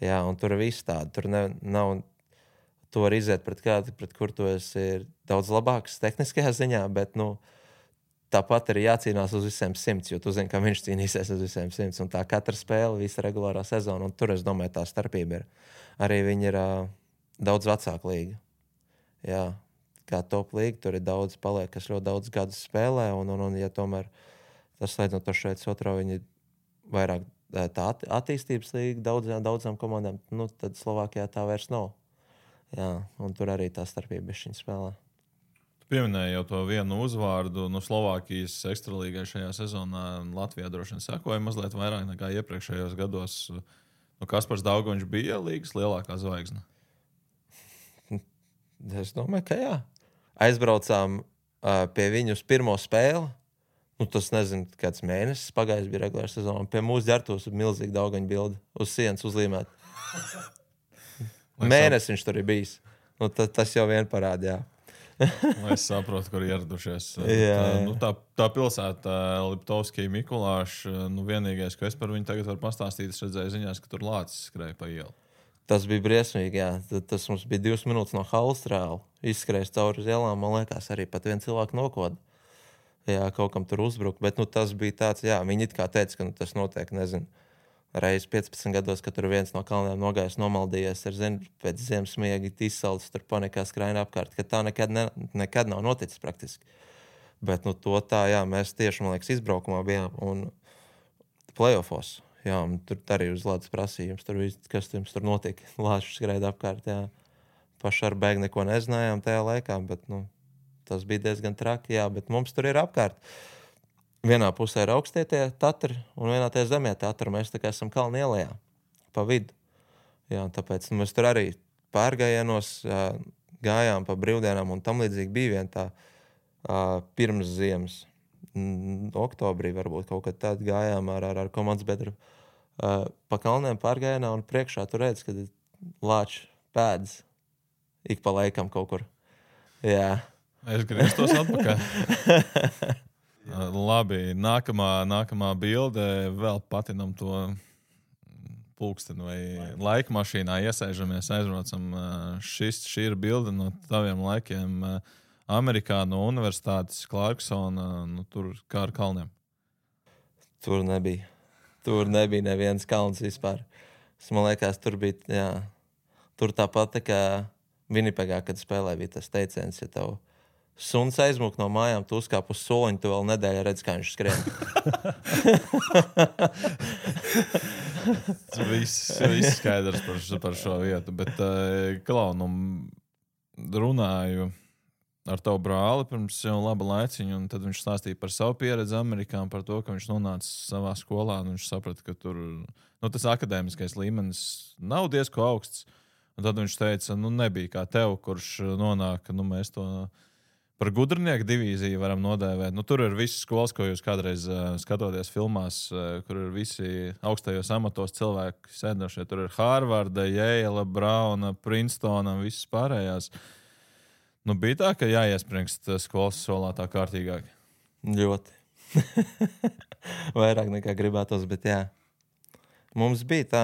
B: Jā, un tur ir viss tādi. Tur nav, tu var iziet pret kādu, pret kur tu esi daudz labāks tehniskajā ziņā, bet, tāpat ir jācīnās uz visiem 100, jo tu zini, ka viņš cīnīsies uz visiem 100. Un tā katra spēle, visa regulārā sezona, un tur, es domāju, tā starpība ir. Arī viņi ir daudz vecāka līga. Jā. Kā top līga, tur ir daudz paliek, kas ļoti daudz gadus spēlē, un ja tomēr tas slēdzot to šeit otro, viņi vairāk tā attīstības līga daudzām komandām, tad Slovākijā tā vairs nav. Jā, un tur arī tā starpība bišķiņ spēlē.
C: Tu pieminēji jau to vienu uzvārdu, Slovākijas ekstralīgai šajā sezonā. Latvijā droši vien sekoja mazliet vairāk nekā iepriekšējos gados. Kaspars Daugoviņš bija līgas lielākā zvaigzne?
B: Es domāju, ka jā. Aizbraucām pie viņu uz pirmo spēli. Tas nezinu, kāds mēnesis pagājis bija regulāra sezona. Pie mūsu ģertos ir milzīgi Daugaņa bildi uz sienas uzlīmēt. Mēnesis viņš tur ir bijis. Tas jau vien parāda, jā.
C: Lai es saprotu, kur ieradušies. Tā pilsēta, Liptovskija, Mikulāša, vienīgais, ko es par viņu tagad varu pastāstīt, es redzēju ziņās, ka tur lācis skrēja pa ielu.
B: Tas bija briesmīgi, jā. Tas mums bija 2 minūtes no halas reāli. Izskrējis cauri uz ielām, man liekas, arī pat viens cilvēks nokoda. Jā, kaut kam tur uzbruka, bet tas bija tāds, jā, viņi it kā teica, ka tas notiek, nezinu, reiz 15 gados, kad tur viens no kalniem nogājis, nomaldījies ar pēc ziemas miega izsalcis, tur panikā skraina apkārt, ka tā nekad nav noticis praktiski. Bet to tā, jā, mēs tieši, man liekas, izbraukumā bijām un playoffos. Jā, un tur arī uz ledus prasījums, kas jums tur notika. Lāčs skraida apkārt, jā. Paši ar bēgu neko nezinājām tajā laikā, bet, tas bija diezgan traki, jā, bet mums tur ir apkārt. Vienā pusē ir augstie tie Tatri un vienā tie zemie Tatri. Mēs tā kā esam kalnu ielējā pa vidu. Jā, tāpēc mēs tur arī pārgājienos gājām pa brīvdienām un tam līdzīgi bija vien tā pirms ziemas. Oktobrī varbūt kaut kad tad gājām ar komandas bedru pa kalniem pārgājienā un priekšā tu redz, kad lāči pēdas ik pa laikam kaut kur. Jā.
C: Es grieztos atpakaļ. Labi, nākamā bilde vēl patinam to pulksteni vai laika mašīnā iesēžamies, aizbraucam. Šī ir bilde no taviem laikiem Amerikā no universitātes Clarksona, tur kā ar kalniem.
B: Tur nebija neviens kalns vispār. Man liekas, tur bija, jā, tur tāpat tā kā Winnipegā, kad spēlē, bija tas teiciens, ja tev suns aizmūk no mājām, tu uzkāp uz soliņu, tu vēl nedēļa redz, kā viņš skrien.
C: Viss skaidrs par šo vietu, bet Klau, runāju ar tavu brāli pirms jau laba laiciņa, un tad viņš stāstīja par savu pieredzi Amerikā, par to, ka viņš nonāca savā skolā, un viņš saprata, ka tur tas akadēmiskais līmenis nav diezko augsts. Un tad viņš teica, nebija kā tev, kurš nonāk, mēs to par gudrnieku divīziju varam nodēvēt. Tur ir visas skolas, ko jūs kādreiz skatoties filmās, kur ir visi augstajos amatos cilvēki sēdošie. Tur ir Harvarda, Yale, Brauna, Princetona un visas pārējās. Bija tā, ka jāiesprinkst skolas solā tā kārtīgāk?
B: Ļoti. Vairāk nekā gribētos, bet jā. Mums bija tā,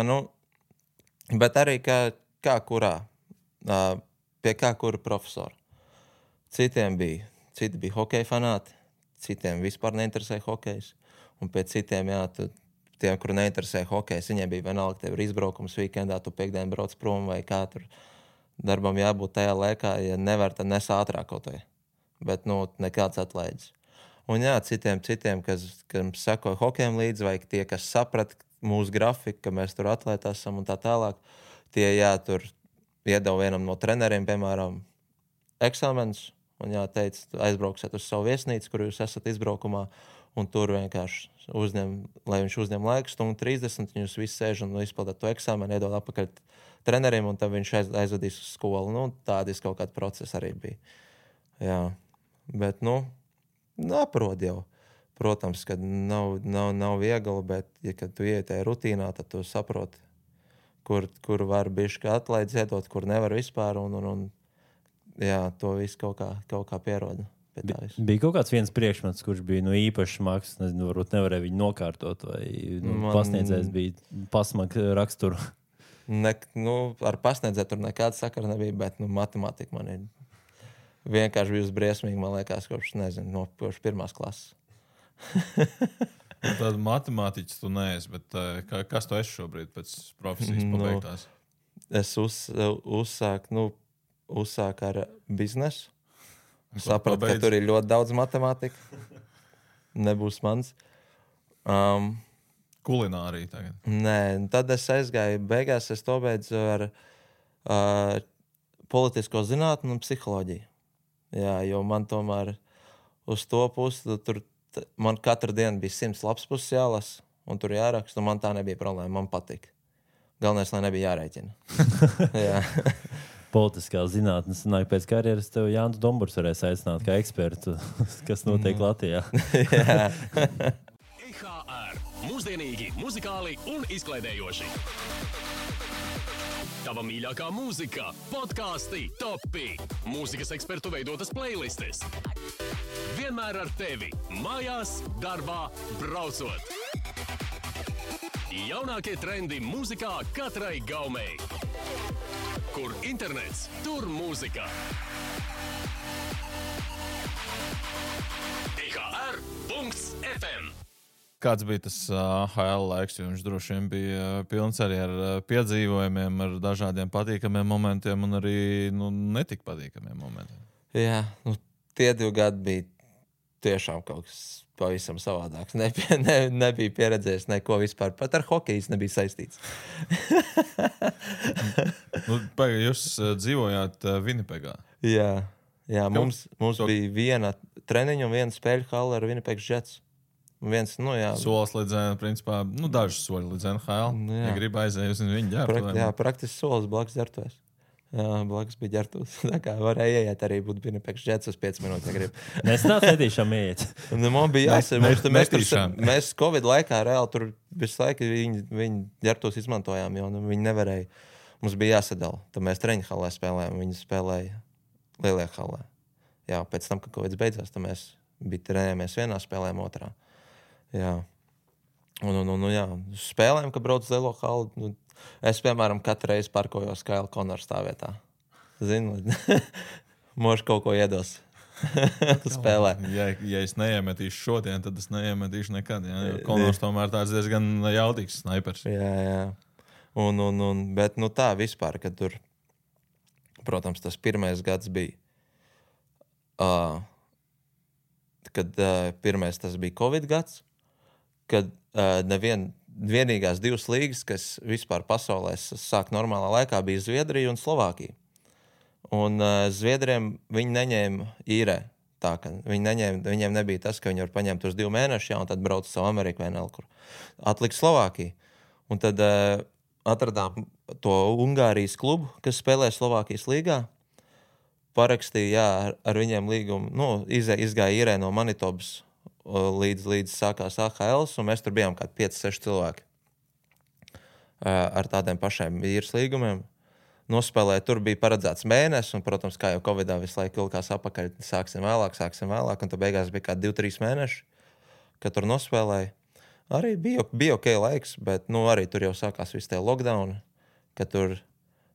B: bet arī kā kurā, pie kā kura profesora. Citi bija hokeja fanāti, citiem vispār neinteresēja hokejs. Un pie citiem, jā, tiem, kuri neinteresēja hokejs, viņiem bija vienalga, tev ir izbraukums weekendā, tu piekdien brauc prom vai kā tur darbam jābūt tajā laikā, ja nevar, tad nes ātrāk kaut vai. Bet, nekāds atlaides. Un jā, citiem, kas sekoja hokejam līdzi, vai tie, kas saprata mūsu grafiku, ka mēs tur atlētā esam un tā tālāk, tie, jā, tur iedeva vienam no treneriem, piemēram, eksāmenus, un jā, teica, aizbrauksiet uz savu viesnīcu, kur jūs esat izbraukumā, un tur vienkārši lai viņš uzņem laiku, 1:30, un jūs visi sēž un izpildāt to eksāmenu, iedod apakaļ treneriem, un tad viņš aizvedīs uz skolu. Tādas kaut kāda procesa arī bija. Jā, bet, aprod jau. Protams, ka nav viegli, bet, ja kad tu ieiet tajā rutīnā, tad tu saproti, kur var bišķi atlaidz iedot, kur nevar vispār, un jā, to visu kaut kā pieroda.
A: Bija kaut kāds viens priekšmets, kurš bija īpašs mākslas, nezinu, varbūt nevarēja viņu nokārtot, vai pasniedzējs bija pasmaga raksturu.
B: Ar pasniedzēju tur nekāda sakara nebija, bet matemātika man ir vienkārši bijusi briesmīga, man liekas, kopš pirmās klases.
C: Tāda matemātiķis tu neesi, bet kas tu esi šobrīd pēc profesijas pabeigtās?
B: Es uzsāku ar biznesu. Sapratu, ka tur ir ļoti daudz matemātika. Nebūs mans.
C: Kulinārija tagad?
B: Nē, tad es aizgāju. Beigās es to beidzu ar politisko zinātni un psiholoģiju. Jā, jo man tomēr uz to pusi tur man katru dienu bija 100 lapspuses jālasa, un tur jāraksta, un man tā nebija problēma, man patika. Galvenais, lai nebija jārēķina. Jā.
A: Politiskā zinātnes nāk pēc karjeras, tev Jānis Domburs varēs aicināt kā ekspertu, kas notiek Latvijā.
B: Jā.
D: IHR. Mūsdienīgi, muzikāli un izklaidējoši. Tava mīļākā mūzika, podkāsti, topi, mūzikas ekspertu veidotas playlistes. Vienmēr ar tevi, mājās, darbā, braucot. Jaunākie trendi mūzikā katrai gaumei. Kur internets, tur mūzika. IHR.FM
C: Kāds bija tas HL laiks? Viņš droši vien bija pilns arī ar piedzīvojumiem, ar dažādiem patīkamiem momentiem un arī netik patīkamiem momentiem.
B: Jā, tie 2 gadi bija tiešām kaut kas pavisam savādāks. Nebija pieredzējis neko vispār. Pat ar hokeju nebija saistīts.
C: Jūs dzīvojāt Winnipegā.
B: Jā, mums bija viena treniņa un viena spēļu hale ar Winnipegs Jets.
C: Solis līdz, principā, dažas soļi līdz NHL. Ja grib aiziet uz viņu ģērbtu.
B: Praktiski solis blakus ģērbtuvēs. Jā, blakus bija ģērbtuves. Tā kā varēja ieiet arī būt Winnipegs Jets uz 5 minūtes, ja grib.
A: Mēs nāc netīšām ieiet.
B: Man bija jāsaka, mēs Covid laikā reāli tur visu laiku viņi ģērbtuves izmantojām, jo viņi nevarēja. Mums bija jāsadala. Tad mēs treniņu halē spēlējām, viņi spēlēja lielajā halē. Jā, pēc tam, kad Covid beidzās, tad mēs trenējāmies vienā, spēlējām otrā. Jā. Jā, spēlēm, kad brauc uz lielo halu. Es, piemēram, katru reizi parkojos Kaila Konora stāvvietā. Zinu, mož kaut ko iedos. Spēlē.
C: Ja es neiemetīšu šodien, tad es neiemetīšu nekad. Jā. Konors tomēr tāds diezgan jaudīgs snaipers.
B: Jā. Bet tā vispār, kad tur, protams, tas pirmais gads bija, kad pirmais tas bija Covid gads, kad vienīgās 2 līgas, kas vispār pasaulē sāk normālā laikā, bija Zviedrija un Slovākija. Un Zviedriem viņi neņēma īrē. Tā, ka viņiem nebija tas, ka viņi var paņemt uz 2 mēnešus, un tad brauc savu Ameriku vai nelkur. Atlika Slovākija. Un tad atradām to Ungārijas klubu, kas spēlē Slovākijas līgā. Parakstīja ar viņiem līgumu, izgāja īrē no Manitobas līdz sākās AHL, un mēs tur bijām kā 5-6 cilvēki ar tādiem pašiem īres līgumiem. Nospēlēja, tur bija paredzēts mēnesis, un, protams, kā jau Covidā visu laiku ilgās apakaļ, sāksim vēlāk, un tad beigās bija kā 2-3 mēneši, kad tur nospēlēja. Arī bija ok laiks, bet arī tur jau sākās visi tie lockdowni, ka tur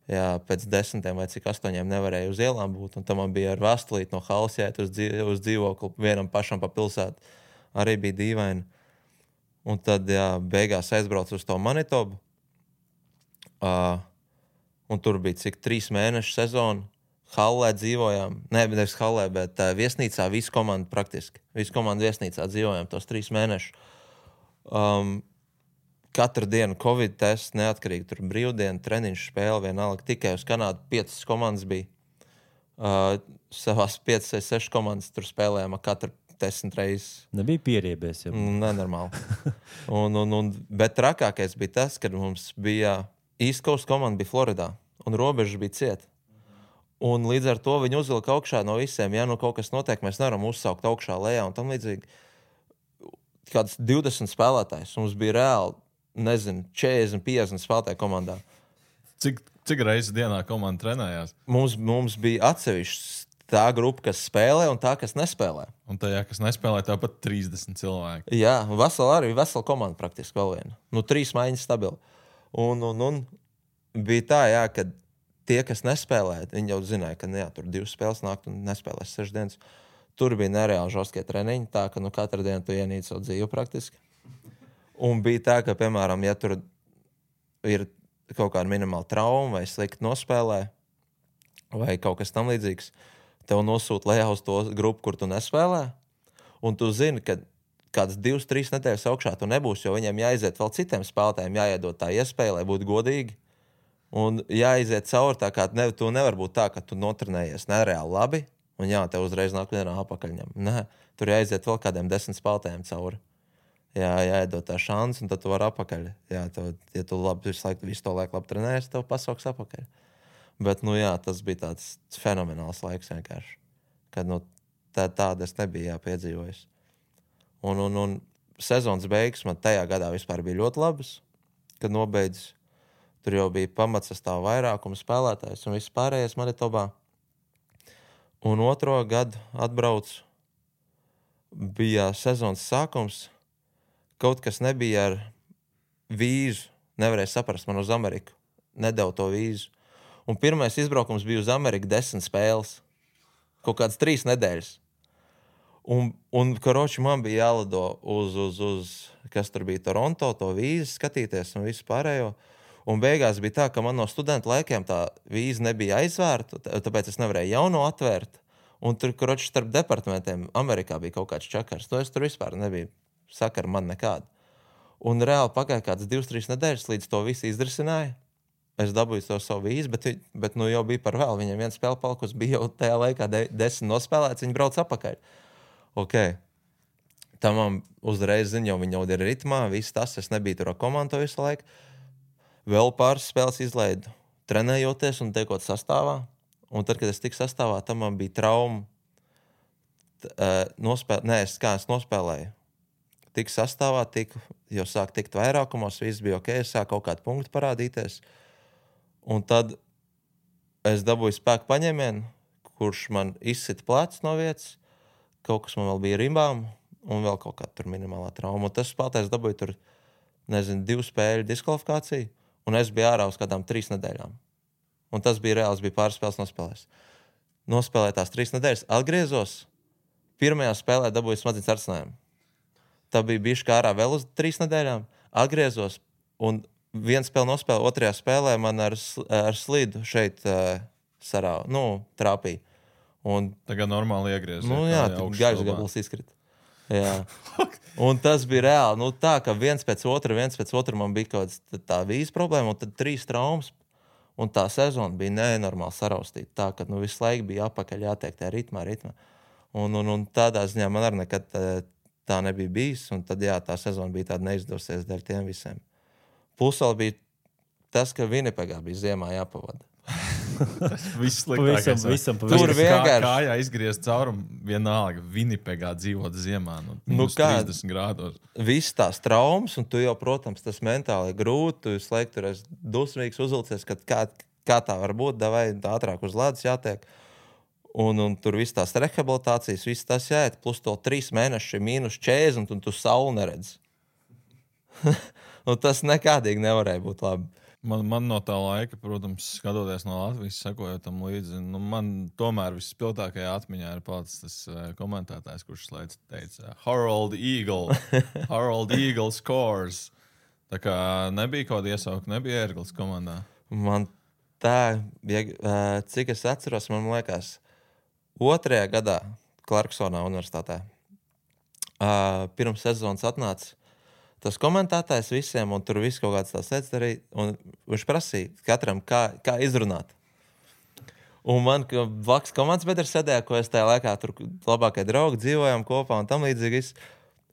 B: pēc 10 vai cik 8 nevarēja uz ielām būt, un tam man bija ar vēstulīti no halas jāiet uz dzīvokli vienam pašam pa pilsētu. Arī bija dīvaini. Un tad, beigās aizbraucu uz to Manitobu. Un tur bija cik 3 mēnešu sezona. Hallē dzīvojām. Nevis hallē, bet viesnīcā visu komandu praktiski. Visu komandu viesnīcā dzīvojām tos 3 mēnešus. Katru dienu Covid tests, neatkarīgi tur brīvdienu, treniņš spēle vienalga. Tikai uz Kanādu 5 komandas bija. Savās 5 vai 6 komandas tur spēlējām katru 10 reizes.
A: Nebija pieriebies.
B: Nenormāli. Bet trakākais bija tas, kad mums bija East Coast komanda bija Floridā, un robežas bija ciet. Un līdz ar to viņi uzvilka augšā no visiem. Ja kaut kas notiek, mēs nevaram uzsaukt augšā lejā un tam līdzīgi. Kāds 20 spēlētājs. Mums bija reāli, 40-50 spēlētāju komandā.
C: Cik reizes dienā komanda trenējās?
B: Mums bija atsevišķs tā grupa, kas spēlē un tā, kas nespēlē.
C: Un tajā, kas nespēlē, tāpat 30 cilvēki.
B: Jā, vesela komanda praktiski vēl viena. 3 maiņas stabili. Un bija tā, ka tie, kas nespēlē, viņi jau zināja, ka tur 2 spēles nāk un nespēlēs 6 dienas. Tur bija nereāli žostkie treniņi, tā ka katru dienu tu ienīci savu dzīvi praktiski. Un bija tā, ka, piemēram, ja tur ir kaut kāda minimāla trauma vai slikti nospēlē vai kaut kas tam līdzīgs, tev nosūta lejā uz to grupu, kur tu nespēlē, un tu zini, ka kādas 2-3 nedēļas augšā tu nebūsi, jo viņiem jāiziet vēl citiem spēlētājiem, jāiedod tā iespēja, lai būtu godīgi, un jāiziet cauri tā, kā tu nevar būt tā, ka tu notrenējies nereāli labi, un tev uzreiz nāk vienā apakaļņam. Nē, tur jāiziet vēl kādiem 10 spēlētājiem cauri. Jāiedod tā šansa, un tad tu vari apakaļ. Ja tu visu to laiku labi trenējies, tev pasauks apakaļ. Bet, tas bija tāds fenomenāls laiks vienkārši. Kad, tāda es nebiju piedzīvojis. Un sezonas beigas man tajā gadā vispār bija ļoti labas. Kad nobeidzis, tur jau bija pamatsastāv vairākums spēlētājs un viss pārējais Manitobā. Un 2. gadu atbraucu, bija sezonas sākums, kaut kas nebija ar vīzu, nevarēja saprast man uz Ameriku, nedeva to vīzu. Un pirmais izbraukums bija uz Ameriku 10 spēles, kaut kādas 3 nedēļas. Un karoči man bija jālido uz kas tur bija Toronto, to vīzi skatīties un visu pārējo. Un beigās bija tā, ka man no studentu laikiem tā vīza nebija aizvērta, tāpēc es nevarēju jauno atvērt. Un tur, karoči, starp departamentiem Amerikā bija kaut kāds čakars. To es tur vispār nebija sakara man nekāda. Un reāli pagāja kādas 2-3 nedēļas, līdz to visu izrisināja. Es dabūju to savu vīzu, bet nu jau bija par vēl. Viņam viena spēle palikusi, bija jau tajā laikā 10 nospēlēts, viņi brauc apakaļ. Ok. Tā man uzreiz ziņo, viņi jau ir ritmā, viss tas, es nebiju tur ar komandu visu laiku. Vēl pāris spēles izlaidu, trenējoties un tiekot sastāvā. Un tad, kad es tiku sastāvā, tam man bija trauma. Es nospēlēju. Tik sastāvā, jau sāk tikt vairākumos, viss bija ok, es sāk kaut kādu punktu parādīties. Un tad es dabūju spēku paņēmienu, kurš man izsita plecs no vietas, kaut kas man vēl bija rimbām, un vēl kaut kāda tur minimālā trauma. Un tas spēlētājs dabūja tur, 2 spēļu diskvalifikāciju, un es biju ārā uz kādām 3 nedēļām. Un tas bija reāls, bija pāris spēles nospēlējis. Nospēlēju tās 3 nedēļas, atgriezos, pirmajā spēlē dabūju smadzenes arcinājumu. Tā bija bišķi kā ārā vēl uz 3 nedēļām. Atgriezos un vienu spēli nospēlēju, otrajā spēlē man ar slidu šeit trāpīja. Un,
C: tagad normāli iegriezās.
B: Jā, gaišs gabals izkrita. Jā. Un tas bija reāli. Tā, ka viens pēc otra man bija kaut kāds tā vīzes problēma, un tad 3 traumas. Un tā sezona bija nenormāli saraustīta. Tā, ka visu laiku bija apakaļ jātiek tajā ritmā. Un tādā ziņā man arī nekad tā nebija bijis, un tad, tā sezona bija tāda neizdevusies dēļ tiem visiem. Plus vēl bija tas, ka Winnipegā bija ziemā jāpavada.
C: Tas viss sliktākais.
B: Tur vienkārši
C: kājā izgriezt caurumu, vienalga Winnipegā dzīvot ziemā, 30 grādos.
B: Viss tās traumas, un tu jau, protams, tas mentāli grūti, tu visu laiku tur esi dusmīgs uzvilcies, ka kā tā var būt, davai ātrāk uz ledus jātiek. Un tur viss tās rehabilitācijas, viss tas jāiet, plus to 3 mēneši -40, un tu sauli neredzi. Un tas nekādīgi nevarēja būt labi.
C: Man no tā laika, protams, skatoties no Latvijas, sekojot tam līdzi, man tomēr vispilgtākajā atmiņā ir palicis tas komentētājs, kurš teica, Harold Eagle scores. Tā kā nebija kaut kāda iesauka, nebija Ērglis komandā.
B: Man tā, cik es atceros, man liekas, 2. gadā Clarksonā universitātē pirms sezonas atnāca tas komentētājs visiem, un tur viss kaut kāds tās lietas darīja, un viņš prasīja katram, kā izrunāt. Un man, ka blakus komandas biedrs sēdēja, ko es tajā laikā tur labākie draugi dzīvojām kopā un tam līdzīgi.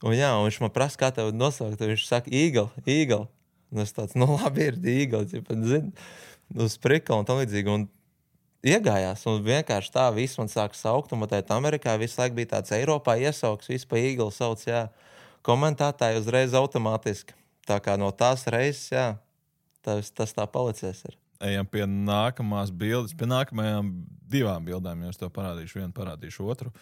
B: Un viņš man prasa, kā tev nosaukt, viņš saka Eagle. Un es tāds, labi ir Eagle, zini, uz prikla un tam līdzīgi. Un iegājās, un vienkārši tā viss man sāka saukt, un tēt Amerikā visu laiku bija tāds Eiropā iesauks, viss pa Eagle sauc, komentētāji uzreiz automātiski. Tā kā no tās reizes, tas tā palicies ir.
C: Ejam pie nākamās bildes, pie nākamajām 2 bildēm, jo es tev parādīšu vienu, parādīšu otru.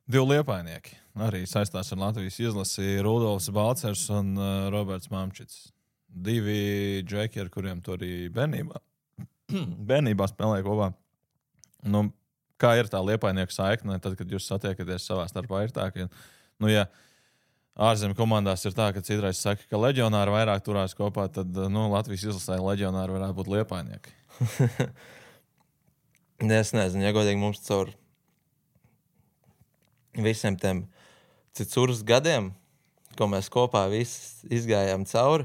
C: 2 liepainieki, arī saistās ar Latvijas izlasi, Rudolfs Balcers un Roberts Mamčits. 2 džeki, ar kuriem tu arī bērnībā spēlēja kopā. Kā ir tā liepainieku saikne, tad, kad jūs satiekaties savā starpā, ir tā, ka, ja ārzemju komandās ir tā, ka citreiz saka, ka leģionāri vairāk turās kopā, tad Latvijas izlasē leģionāri varētu būt liepainieki.
B: Es nezinu, ja godīgi mums caur visiem tiem citurs gadiem, ko mēs kopā visi izgājām cauri.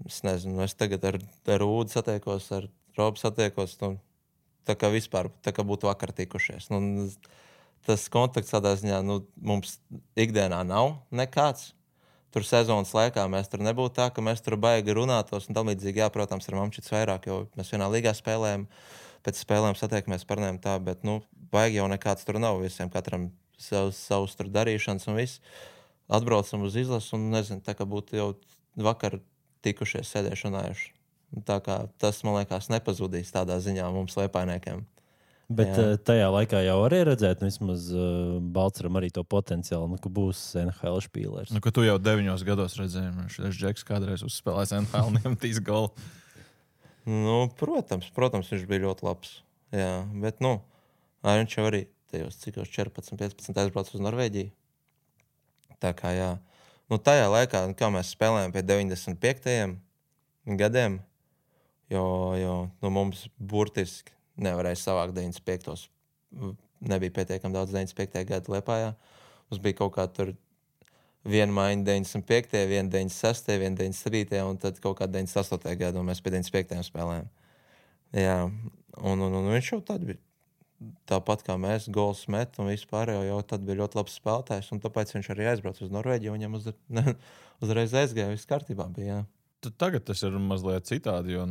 B: Es nezinu, es tagad ar Ūdu satiekos, ar Robu satiekos, tā kā vispār, tā kā būtu vakar tikušies. Tas kontakts tādā ziņā mums ikdienā nav nekāds. Tur sezonas laikā mēs tur nebūtu tā, ka mēs tur baigi runātos un tam līdzīgi, protams, ar Mamčits vairāk, jo mēs vienā līgā spēlējam, pēc spēlēm satiekamies parunājam tā, bet baigi jau nekāds tur nav, visiem katram savus tur darīšanas un viss. Atbraucam uz izlasu un nezinu, tā kā būtu jau vakar tikušies, sēdējuši runājuši. Tā kā tas, man liekas, nepazudīs tādā ziņā mums liepainiekiem.
A: Bet tajā laikā jau arī redzēt, vismaz Balceram arī to potenciālu, ka būs NHL špīlers.
C: Ka tu jau 9 gados redzēji, šis Džeks kādreiz uzspēlēs NHL un iemetīs golu.
B: Protams, viņš bija ļoti labs. Jā, bet viņš jau arī tajos cikos 14, 15 aizbraucu uz Norvēģiju. Tā kā, jā. Nu, tajā laikā, kā mēs spēlējām pie 95. gadiem, jo nu, mums burtiski nevarēja savākt 95. Nebija pietiekami daudz 95. gadu Liepājā. Mums bija kaut kā tur viena maiņa 95., viena 96., viena 97. un tad kaut kā 98. gadu, un mēs pie 95. spēlējām. Jā, un viņš jau tad bija tāpat kā mēs, gols met un vispār jau tad bija ļoti labs spēlētājs, un tāpēc viņš arī aizbrauc uz Norvēģiju, un viņam uzreiz aizgāja, viss kārtībā bija, jā.
C: Tagad tas ir mazliet citādi, jo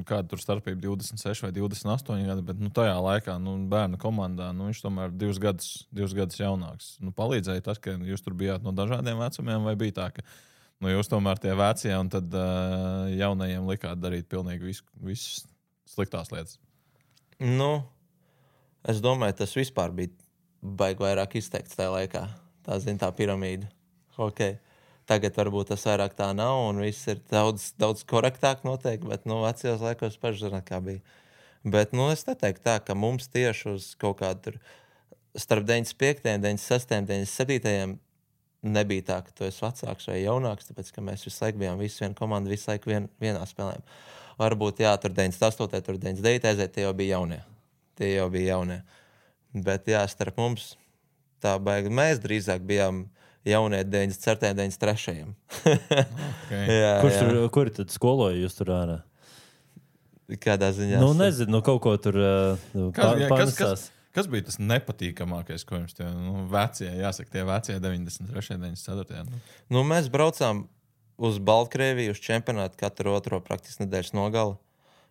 C: kāda tur starpība 26 vai 28 gadi, bet tajā laikā bērnu komandā viņš tomēr 2 gadus jaunāks. Palīdzēja tas, ka jūs tur bijāt no dažādiem vecumiem, vai bija tā, ka jūs tomēr tie vecie un tad jaunajiem likāt darīt pilnīgi visas sliktās lietas?
B: Es domāju, tas vispār bija baigi vairāk izteikts tajā laikā. Tā piramīda. Okay. Tagad varbūt tas vairāk tā nav, un viss ir daudz korektāk noteikti, bet vecajos laikos paši zināt, kā bija. Bet es neteiktu tā, ka mums tieši uz kaut kādu tur starp 95., 96., 97. nebija tā, ka tu esi vecāks vai jaunāks, tāpēc, ka mēs visu laiku bijām viena komanda, visu laiku vienā spēlējām. Varbūt, jā, tur 98., tur 99. aiziet, tie jau bija jaunie. Bet, jā, starp mums tā baigi. Mēs drīzāk bijām jaunie 94. 93.
C: Okay.
B: jā.
A: Kur tad skoloja jūs tur ārā?
B: Kādā ziņā?
A: Nezinu, kaut ko tur pārnesās.
C: Kas bija tas nepatīkamākais, ko jums tie vecie, jāsaka, tie vecie 93. 94.
B: Mēs braucām uz Baltkrieviju, uz čempionātu katru otro praktiski nedēļas nogali.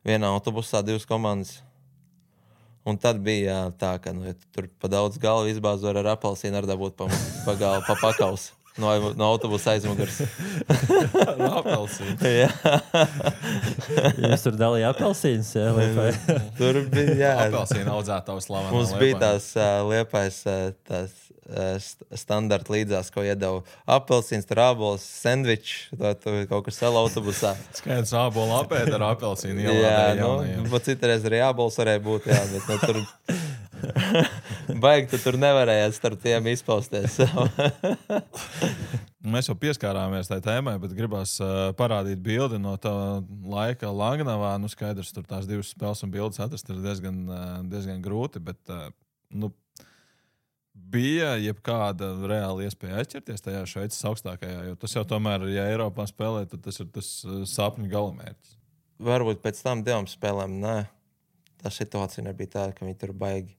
B: Vienā autobusā 2 komandas. Un tad bija tā, ka ja tur pa daudz galvu izbāzu ar apelsīnu ar dabūt pa galvu, pa pakaus no autobusa aizmugurs.
C: Ar apelsīnu?
B: Jā.
C: Jūs
A: tur dalīja apelsīnas, jā?
B: Tur bija, jā.
C: Apelsīna audzētavas slavenā
B: Mums bija tās Liepājas tās standarta līdzās, ko iedeva apelsīns, tur ābols, sendvičs, tu kaut kas sala autobusā.
C: Skaidrs, ābola apēda ar apelsīnu
B: ielādēja jaunajiem. Jā, citreiz arī ābols varēja būt, jā, bet tur baigi, tu tur nevarēja starp tiem izpausties.
C: Mēs jau pieskārāmies tai tēmai, bet gribās parādīt bildi no tā laika Langnavā. Skaidrs, tur tās 2 spēles un bildes atrast ir diezgan grūti, bet bija jebkāda reāla iespēja aizķerties tajā Šveices augstākajā, jo tas jau tomēr, ja Eiropā spēlē, tad tas ir tas sapņu galamērķis.
B: Varbūt pēc tam 2 spēlēm, nē. Tā situācija nebija tāda, ka viņi tur baigi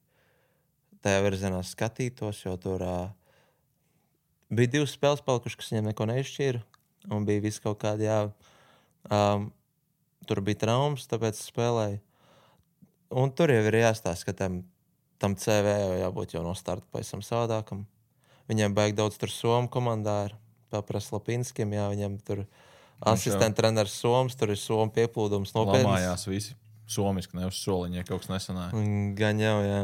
B: tajā virzienā skatītos, jo tur bija 2 spēles palikušas, kas viņiem neko neizšķīra, un bija viss kaut kādi, tur bija traumas, tāpēc spēlēja. Un tur jau ir jāstāsta, ka tam CV jau jābūt jau no starta pavisam savādākam. Viņiem baigi daudz tur Somu komandā ir, papras Lapinskim, jā, viņiem tur asistenta treneris Soms, tur ir Somu pieplūdums nopietnas.
C: Lamājās visi somiski, ne uz soliņa, ja kaut kas nesanāja.
B: Gan jau, jā.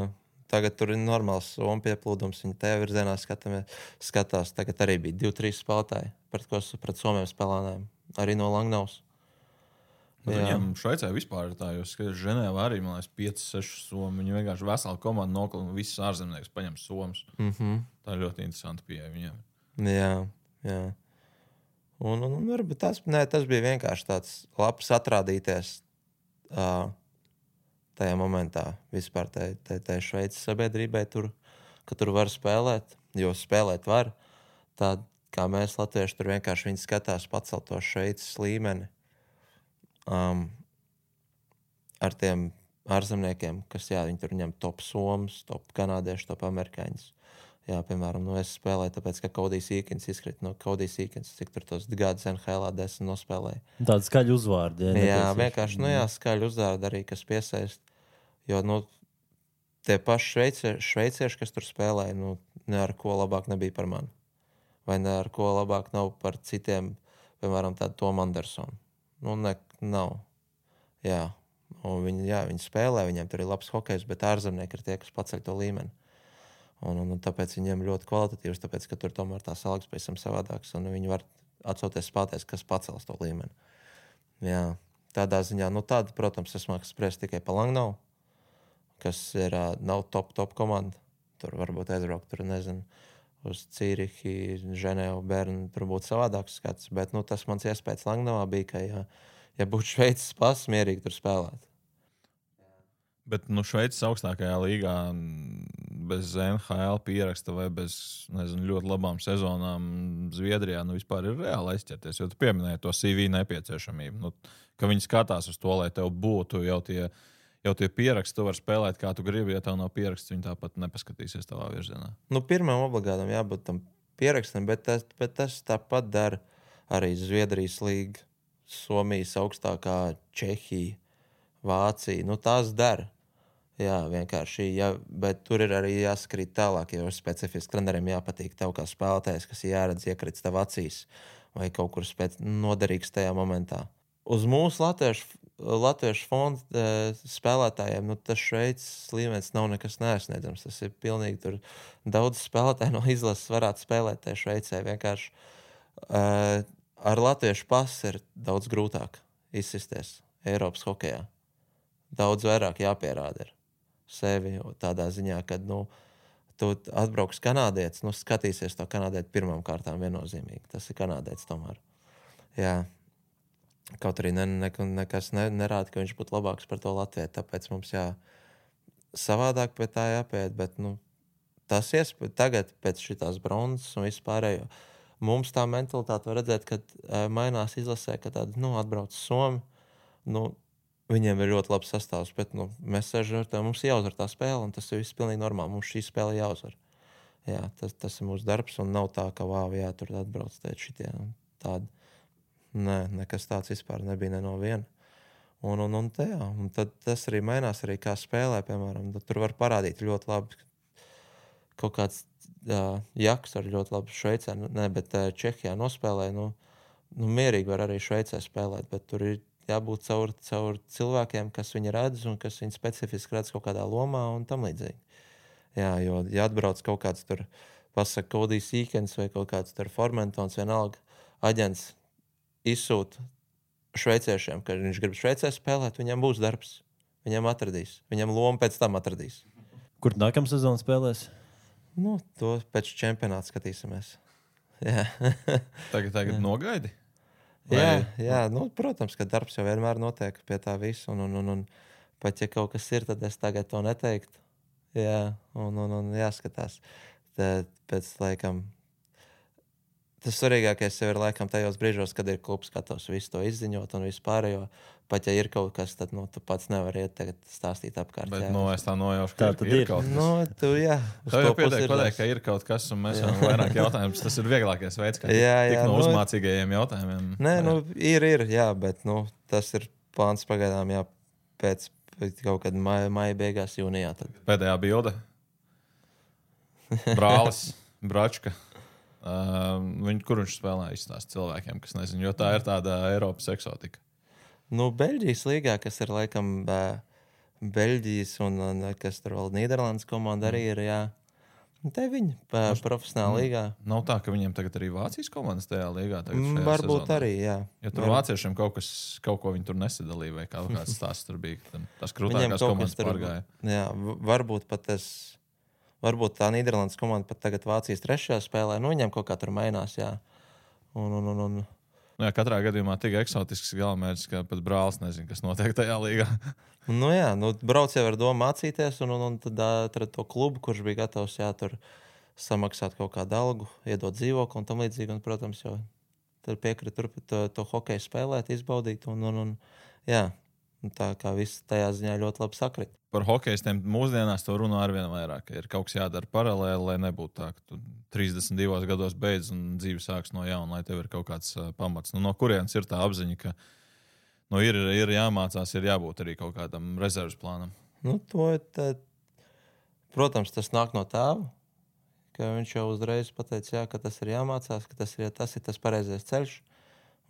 B: Tagad tur ir normāls Somu pieplūdums, viņi tajā virzienā skatās. Tagad arī bija 2-3 spēlētāji, pret Somiem spēlēnājiem, arī no Langnavas.
C: Viņam Šveicē vispār ir tā, jo skaties, Ženēvā arī, man liekas, 5-6 somi. Viņi vienkārši veselu komandu noklina un visas ārzemnieks paņem somas. Tā ir ļoti interesanti pieeja viņiem.
B: Jā. Un varbūt tas bija vienkārši tāds labs atrādīties tajā momentā vispār tai Šveices sabiedrībai tur, ka tur var spēlēt, jo spēlēt var. Tā kā mēs latvieši tur vienkārši viņi skatās pacelt to Šveices līmeni. Ar tiem ārzemniekiem, kas, jā, viņi tur ņem top somas, top kanādieši, top amerikāņus. Jā, piemēram, es spēlēju, tāpēc, ka Kodijs Īkins izkrīt no Kodijs Īkins, cik tur tos gadus NHL 10 nospēlēja.
A: Tāda skaļa uzvārdi.
B: Jā, vienkārši, skaļa uzvārdi arī, kas piesaist. Jo, tie paši šveicieši, kas tur spēlēja, ne ar ko labāk nebija par mani. Vai ne ar ko labāk nav par citiem, piemēram, tādu Tomu Andersonu. Nav. Jā. Un viņi spēlē, viņiem tur ir labs hokejs, bet ārzemnieki ir tie, kas paceļ to līmeni. Un tāpēc viņiem ļoti kvalitatīvs, tāpēc, ka tur tomēr tās algas pēc tam savādākas, un viņi var atsauties spēlēties, kas pacels to līmeni. Jā. Tādā ziņā, tāda, protams, es māku spriest tikai pa Langnavu, kas ir nav top komanda. tur varbūt aizbraukt, tur nezinu, uz Cīrihi, Ženēvu, Bernu, tur būtu savādāks skats. Bet tas mans iespējas Langnavā bija, ka, ja būtu Šveices pass, mierīgi tur spēlēt.
C: Bet Šveices augstākajā līgā bez NHL pieraksta vai bez ļoti labām sezonām Zviedrijā vispār ir reāli aizķerties. Jo tu pieminēji to CV nepieciešamību. Ka viņi skatās uz to, lai tev būtu jau tie pieraksti, tu vari spēlēt, kā tu gribi. Ja tev nav pieraksts, viņi tāpat nepaskatīsies tavā virzienā.
B: Pirmam obligātam jābūt tam pierakstam, bet tas tāpat dara arī Zviedrijas līga, Somijas augstākā, Čehija, Vācija. Tās dara. Jā, vienkārši. Bet tur ir arī jāskrīt tālāk, jo specifiski treneriem jāpatīk tev kā spēlētājs, kas jāredz iekrits tev acīs vai kaut kur noderīgs tajā momentā. Uz mūsu latviešu fonda spēlētājiem tas Šveices līmenis nav nekas neaizsniedzams. Tas ir pilnīgi tur daudz spēlētāju no izlases varētu spēlēt tajā Šveicē. Vienkārši ar latviešu pasu ir daudz grūtāk izsisties Eiropas hokejā. Daudz vairāk jāpierāda ir sevi tādā ziņā, ka tu atbrauks kanādietis, skatīsies to kanādieti pirmām kārtām viennozīmīgi. Tas ir kanādietis tomēr. Jā. Kaut arī nekas nerāda, ka viņš būtu labāks par to Latviju. Tāpēc mums savādāk pie tā jāpiet. Bet tas tagad pēc šitās bronzas un vispārējo. Mums tā mentalitāte var redzēt, ka mainās izlasē, ka tāda atbrauc Somi. Viņiem ir ļoti labs sastāvs, bet mēs sēžam ar tevi, mums jāuzvar tā spēle, un tas ir viss pilnīgi normāli. Mums šī spēle jāuzvar. Jā, tas ir mūsu darbs, un nav tā, ka tur atbrauc šitie tādi. Nē, nekas tāds vispār nebija ne no viena. Un tad tas arī mainās, arī kā spēlē, piemēram. Tur var parādīt ļoti labi kaut kāds Jaks ar ļoti labu Šveicē, bet Čehijā nospēlē. Mierīgi var arī Šveicē spēlēt, bet tur ir jābūt caur cilvēkiem, kas viņu redz un kas viņu specifiski redz kaut kādā lomā un tam līdzīgi. Jā, jo ja atbrauc kaut kāds tur, pasaka Kodijs Īkens vai kaut kāds tur Formentons, vienalga aģents izsūta šveiciešiem, ka viņš grib Šveicē spēlēt, viņam būs darbs. Viņam atradīs. Viņam loma pēc tam atradīs.
A: Kur nākamā sezona spēlēs?
B: To pēc čempionāta skatīsimies. Jā.
C: Tagad nogaidi?
B: Jā, protams, ka darbs jau vienmēr notiek pie tā visu. Un pat ja kaut kas ir, tad es tagad to neteiktu. Jā, un jāskatās. Tad pēc laikam tas svarīgākais jau ir laikam tajos brīžos, kad ir klubs gatavs visu to izziņot un vispārējo. Pat ja ir kaut kas, tad tu pats nevari iet tagad stāstīt apkārt.
C: Bet es tā nojaušu, ka ir kaut kas.
B: Tev
C: jau pietiek pateikt, ka ir kaut kas, un mēs varam vairāk jautājumus. Tas ir vieglākais veids, kā tik no uzmācīgajiem jautājumiem.
B: Nē, ir, jā, bet tas ir plāns pagaidām, jā, pēc kaut kad maija beigās, jūnijā. Tad.
C: Pēdējā bilde. Brālis, Bračka. Kur viņš spēlē izstāst cilvēkiem, kas nezinu, jo tā ir tāda Eiropas eksotika.
B: Beļģijas līgā, kas ir laikam Beļģijas un kas tur vēl Nīderlandes komanda arī ir, jā. Te viņi profesionāla līgā.
C: Nav tā, ka viņiem tagad arī Vācijas komandas tajā līgā?
B: Varbūt
C: sezonā.
B: Arī, jā.
C: Ja tur vāciešiem kaut ko viņi tur nesadalīja vai kaut kāds stāsts tur bija, tas krūtākās komandas pārgāja. Jā,
B: varbūt pat varbūt tā Nīderlandes komanda pat tagad Vācijas trešajā spēlē. Viņiem kaut kā tur mainās, jā.
C: Jā, katrā gadījumā tik eksotisks galamērķis, ka pat brālis nezina, kas notiek tajā līgā.
B: Brauc jau ar domu mācīties, un tad atrada to klubu, kurš bija gatavs tur samaksāt kaut kādu algu, iedot dzīvokli un tam līdzīgi. Un, protams, jau tad piekrita to hokeju spēlēt, izbaudīt. Jā, tā kā viss tajā ziņā ļoti labi sakrit.
C: Par hokeistiem mūsdienās to runā arvien vairāk. Ir kaut kas jādara paralēli, lai nebūtu tā, ka tu 32 gados beidz un dzīve sāks no jauna, lai tev ir kaut kāds pamats. No kurienes ir tā apziņa, ka ir jāmācās, ir jābūt arī kaut kādam rezerves plānam?
B: Protams, tas nāk no tēva, ka viņš jau uzreiz pateica, jā, ka tas ir jāmācās, ka tas ir tas pareizais ceļš.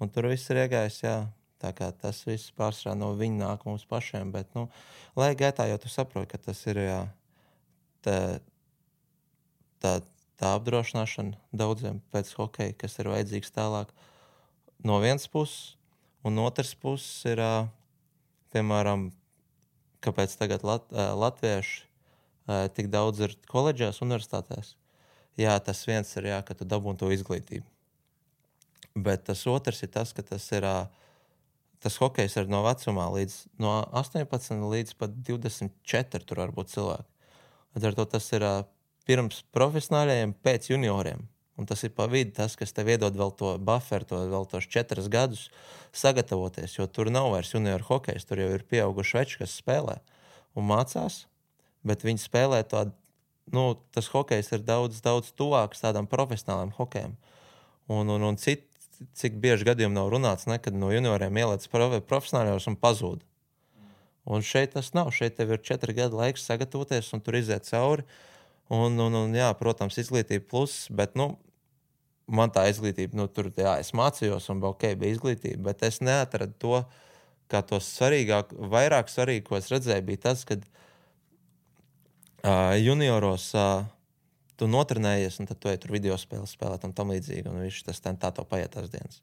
B: Un tur viss ir iegājis, jā. Tā kā tas viss pārsvarā no viņa nāk mums pašiem, bet, lai gaitā jau tu saproti, ka tas ir, jā, tā apdrošināšana daudziem pēc hokeja, kas ir vajadzīgs tālāk no vienas puses, un otras puses ir, piemēram, kāpēc tagad latvieši tik daudz ir koledžās, universitātēs. Jā, tas viens ir, jā, ka tu dabūni to izglītību. Bet tas otrs ir tas, ka tas hokejs ir no vecumā no 18 līdz pat 24 tur var būt cilvēki. Ar to tas ir pirms profesionāļiem, pēc junioriem. Un tas ir pa vidu tas, kas tev iedod vēl to bufferu, vēl tos 4 gadus sagatavoties, jo tur nav vairs junioru hokejs, tur jau ir pieauguši veči, kas spēlē un mācās, bet viņi spēlē tādu, tas hokejs ir daudz tuvāks tādam profesionāliem hokejam. Un cik bieži gadījumi nav runāts, kad no junioriem ielēc profesionāļos un pazūd. Un šeit tas nav. Šeit tev ir 4 gadu laiks sagatavoties un tur iziet cauri. Un jā, protams, izglītība plus, bet, man tā izglītība, tur, jā, es mācījos un bija izglītība, bet es neatradu to, kā to vairāk svarīgi, ko es redzēju, bija tas, kad junioros tu notrenējies, un tad tu ej tur video spēles spēlēt un tam līdzīgi, un viņš tas tā to paiet tās dienas.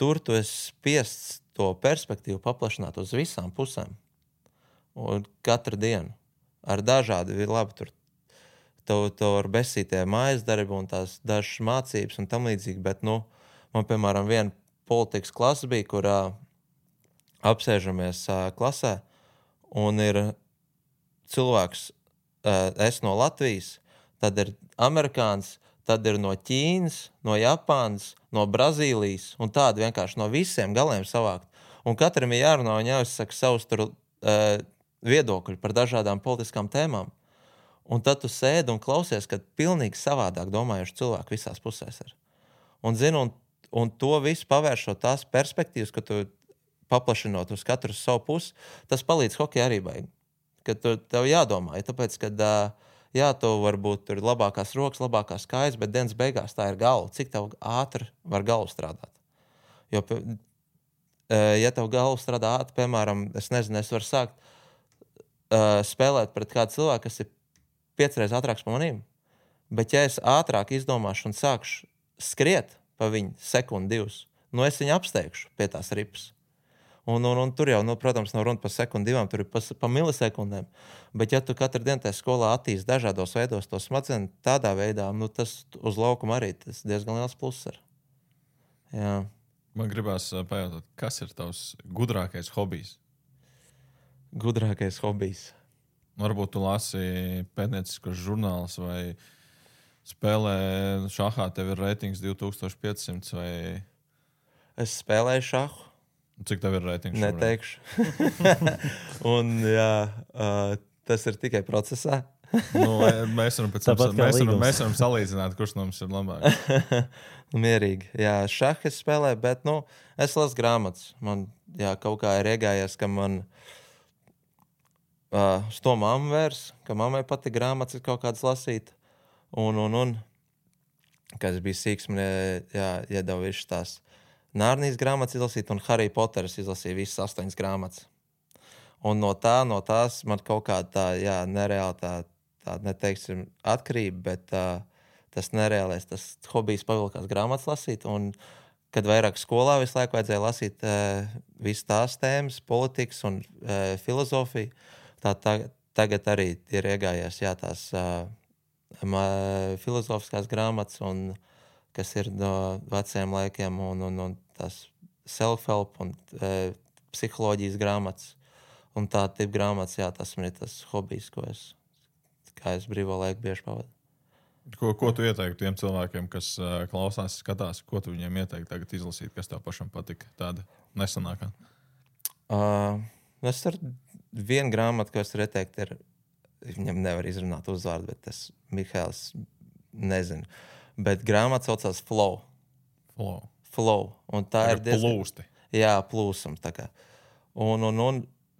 B: Tur tu esi spiests to perspektīvu paplašināt uz visām pusēm. Un katru dienu. Ar dažādi ir labi tur. To ar besītie mājas darbi un tās dažas mācības un tam līdzīgi, bet, man, piemēram, viena politikas klasa bija, kurā apsēžamies klasē, un ir cilvēks, es no Latvijas, tad ir amerikāns, tad ir no Ķīnas, no Japānas, no Brazīlijas, un tādi vienkārši no visiem galiem savākt. Un katram ir jārunā un jāizsaka savus tur viedokļi par dažādām politiskām tēmām. Un tad tu sēdi un klausies, kad pilnīgi savādāk domājuši cilvēki visās pusēs ir. Un zinu, un to visu pavēršot tās perspektīvas, ka tu paplašinot uz katru savu pusi, tas palīdz hokeja arī baigi. Kad tev jādomā, tāpēc, kad tu varbūt tur labākās rokas, labākās kājas, bet dienas beigās tā ir galva. Cik tev ātri var galva strādāt? Jo, ja tev galva strādā ātri, piemēram, es nezinu, es varu sākt spēlēt pret kādu cilvēku, kas ir 5 reizes ātrāks par manīm. Bet ja es ātrāk izdomāšu un sākšu skriet pa viņu sekundi 2, es viņu apsteigšu pie tās ripas. Un tur jau, protams, nav runa par sekundi 2, tur ir pa milisekundēm. Bet ja tu katru dienu tajā skolā attīsti dažādos veidos to smadzenes tādā veidā, tas uz laukuma arī tas diezgan liels pluss ir. Jā.
C: Man gribās pajautāt, kas ir tavs gudrākais hobijs?
B: Gudrākais hobijs?
C: Varbūt tu lasi pētnieciskos žurnālus vai spēlē šahā, tev ir reitings 2500 vai...
B: Es spēlēju šahu.
C: Cik tev ir reitings?
B: Neteikšu. Un jā, tas ir tikai procesā.
C: Mēs varam salīdzināt, kurš no mums ir labāk.
B: Mierīgi. Jā, šahu es spēlēju, bet es lasu grāmatas. Man kaut kā ir iegājies, ka man uz to mammu vērs, ka mammai patīk grāmatas kaut kādas lasīt. Un kad es biju sīks, man iedeva visu tās Nārnijas grāmatas izlasīt, un Harry Potteris izlasīja visas 8 grāmatas. Un no tās man kaut kā nereāli tā neteiksim atkarība, bet tas nereālais, tas hobijs pavilkās grāmatas lasīt, un kad vairāk skolā visu laiku vajadzēja lasīt visas tās tēmas, politikas un filozofiju, tagad arī ir iegājies tās filozofiskās grāmatas, un kas ir no veciem laikiem, un tās self-help un psiholoģijas grāmatas. Un tā tipa grāmatas, tas man ir tas hobijs, kā es brīvo laiku bieži pavadu.
C: Ko tu ieteiktu tiem cilvēkiem, kas klausās, skatās, ko tu viņiem ieteiktu tagad izlasīt, kas tev pašam patika, tāda nesanākā?
B: Es ar vienu grāmatu, ko es ieteiktu, viņam nevar izrunāt uzvārdu, bet tas Mihails nezinu. Bet grāmata saucās Flow. Un tā ir
C: plūsti.
B: Jā, plūsum. Un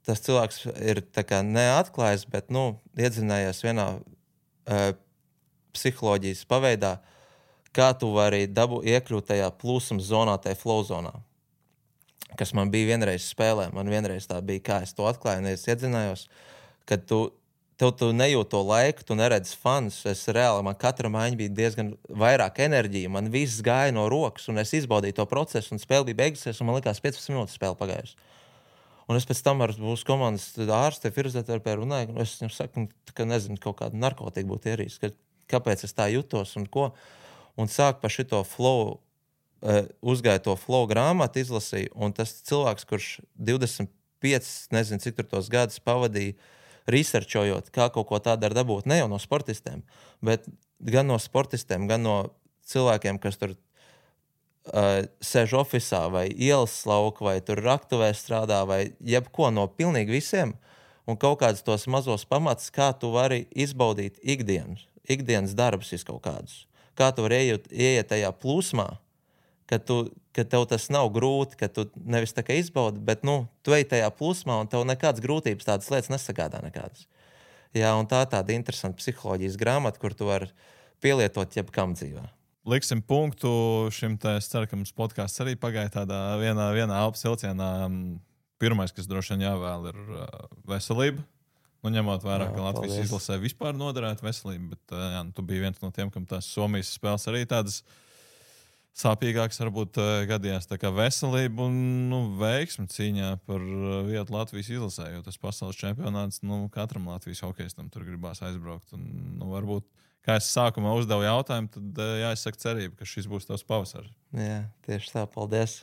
B: tas cilvēks ir neatklājis, bet iedzinājies vienā psiholoģijas paveidā, kā tu vari iekļūt tajā plūsuma zonā, tajā flow zonā. Kas man bija vienreiz spēlē. Man vienreiz tā bija, kā es to atklāju, un es iedzinājos, ka tu nejūti to laiku, tu neredzi fanus. Man katra maiņa bija diezgan vairāk enerģija. Man viss gāja no rokas, un es izbaudīju to procesu, un spēle bija beigusies, un man likās 15 minūtes spēle pagājusi. Un es pēc tam ar mūsu komandas ārsti, fizioterapeitu runāju, un es viņam saku, ka nezinu, kaut kādu narkotiku būtu ierīst, kāpēc es tā jutos un ko. Un sāk par šito flow, uzgāja to flow grāmatu, izlasīju, un tas cilvēks, kurš 25, nezinu, cik tur tos gadus pavadīja, researchojot, kā kaut ko tādu var dabūt, ne jau no sportistiem, bet gan no sportistiem, gan no cilvēkiem, kas tur sēž ofisā vai ielas lauka vai tur raktuvē strādā vai jebko no pilnīgi visiem un kaut kādus tos mazos pamatus, kā tu vari izbaudīt ikdienas darbus kaut kādus. Kā tu vari ieiet tajā plūsmā, ka tev tas nav grūti, ka tu nevis tā kā izbaudi, bet tu ej tajā plūsmā un tev nekādas grūtības tādas lietas nesagādā nekādas. Jā, un tāda interesanta psiholoģijas grāmata, kur tu vari pielietot jebkam dzīvē.
C: Liksim punktu šim te, es ceru, ka mums podcasts arī pagāja tādā vienā elpas vilcienā. Pirmais, kas droši vien jāvēl, ir veselība. Ņemot vērā, ka Latvijas izlasē vispār noderētu veselību, bet tu biji viens no tiem, kam tās Somijas spēles arī tādas sāpīgākas varbūt gadījās. Tā kā veselība un veiksmi cīņā par vietu Latvijas izlasē, jo tas pasaules čempionāts, katram Latvijas hokejistam tur gribās aizbraukt. Un, varbūt kā es sākumā uzdevu jautājumu, tad jāizsaka cerība, ka šis būs tavs pavasars.
B: Jā, tieši tā, paldies.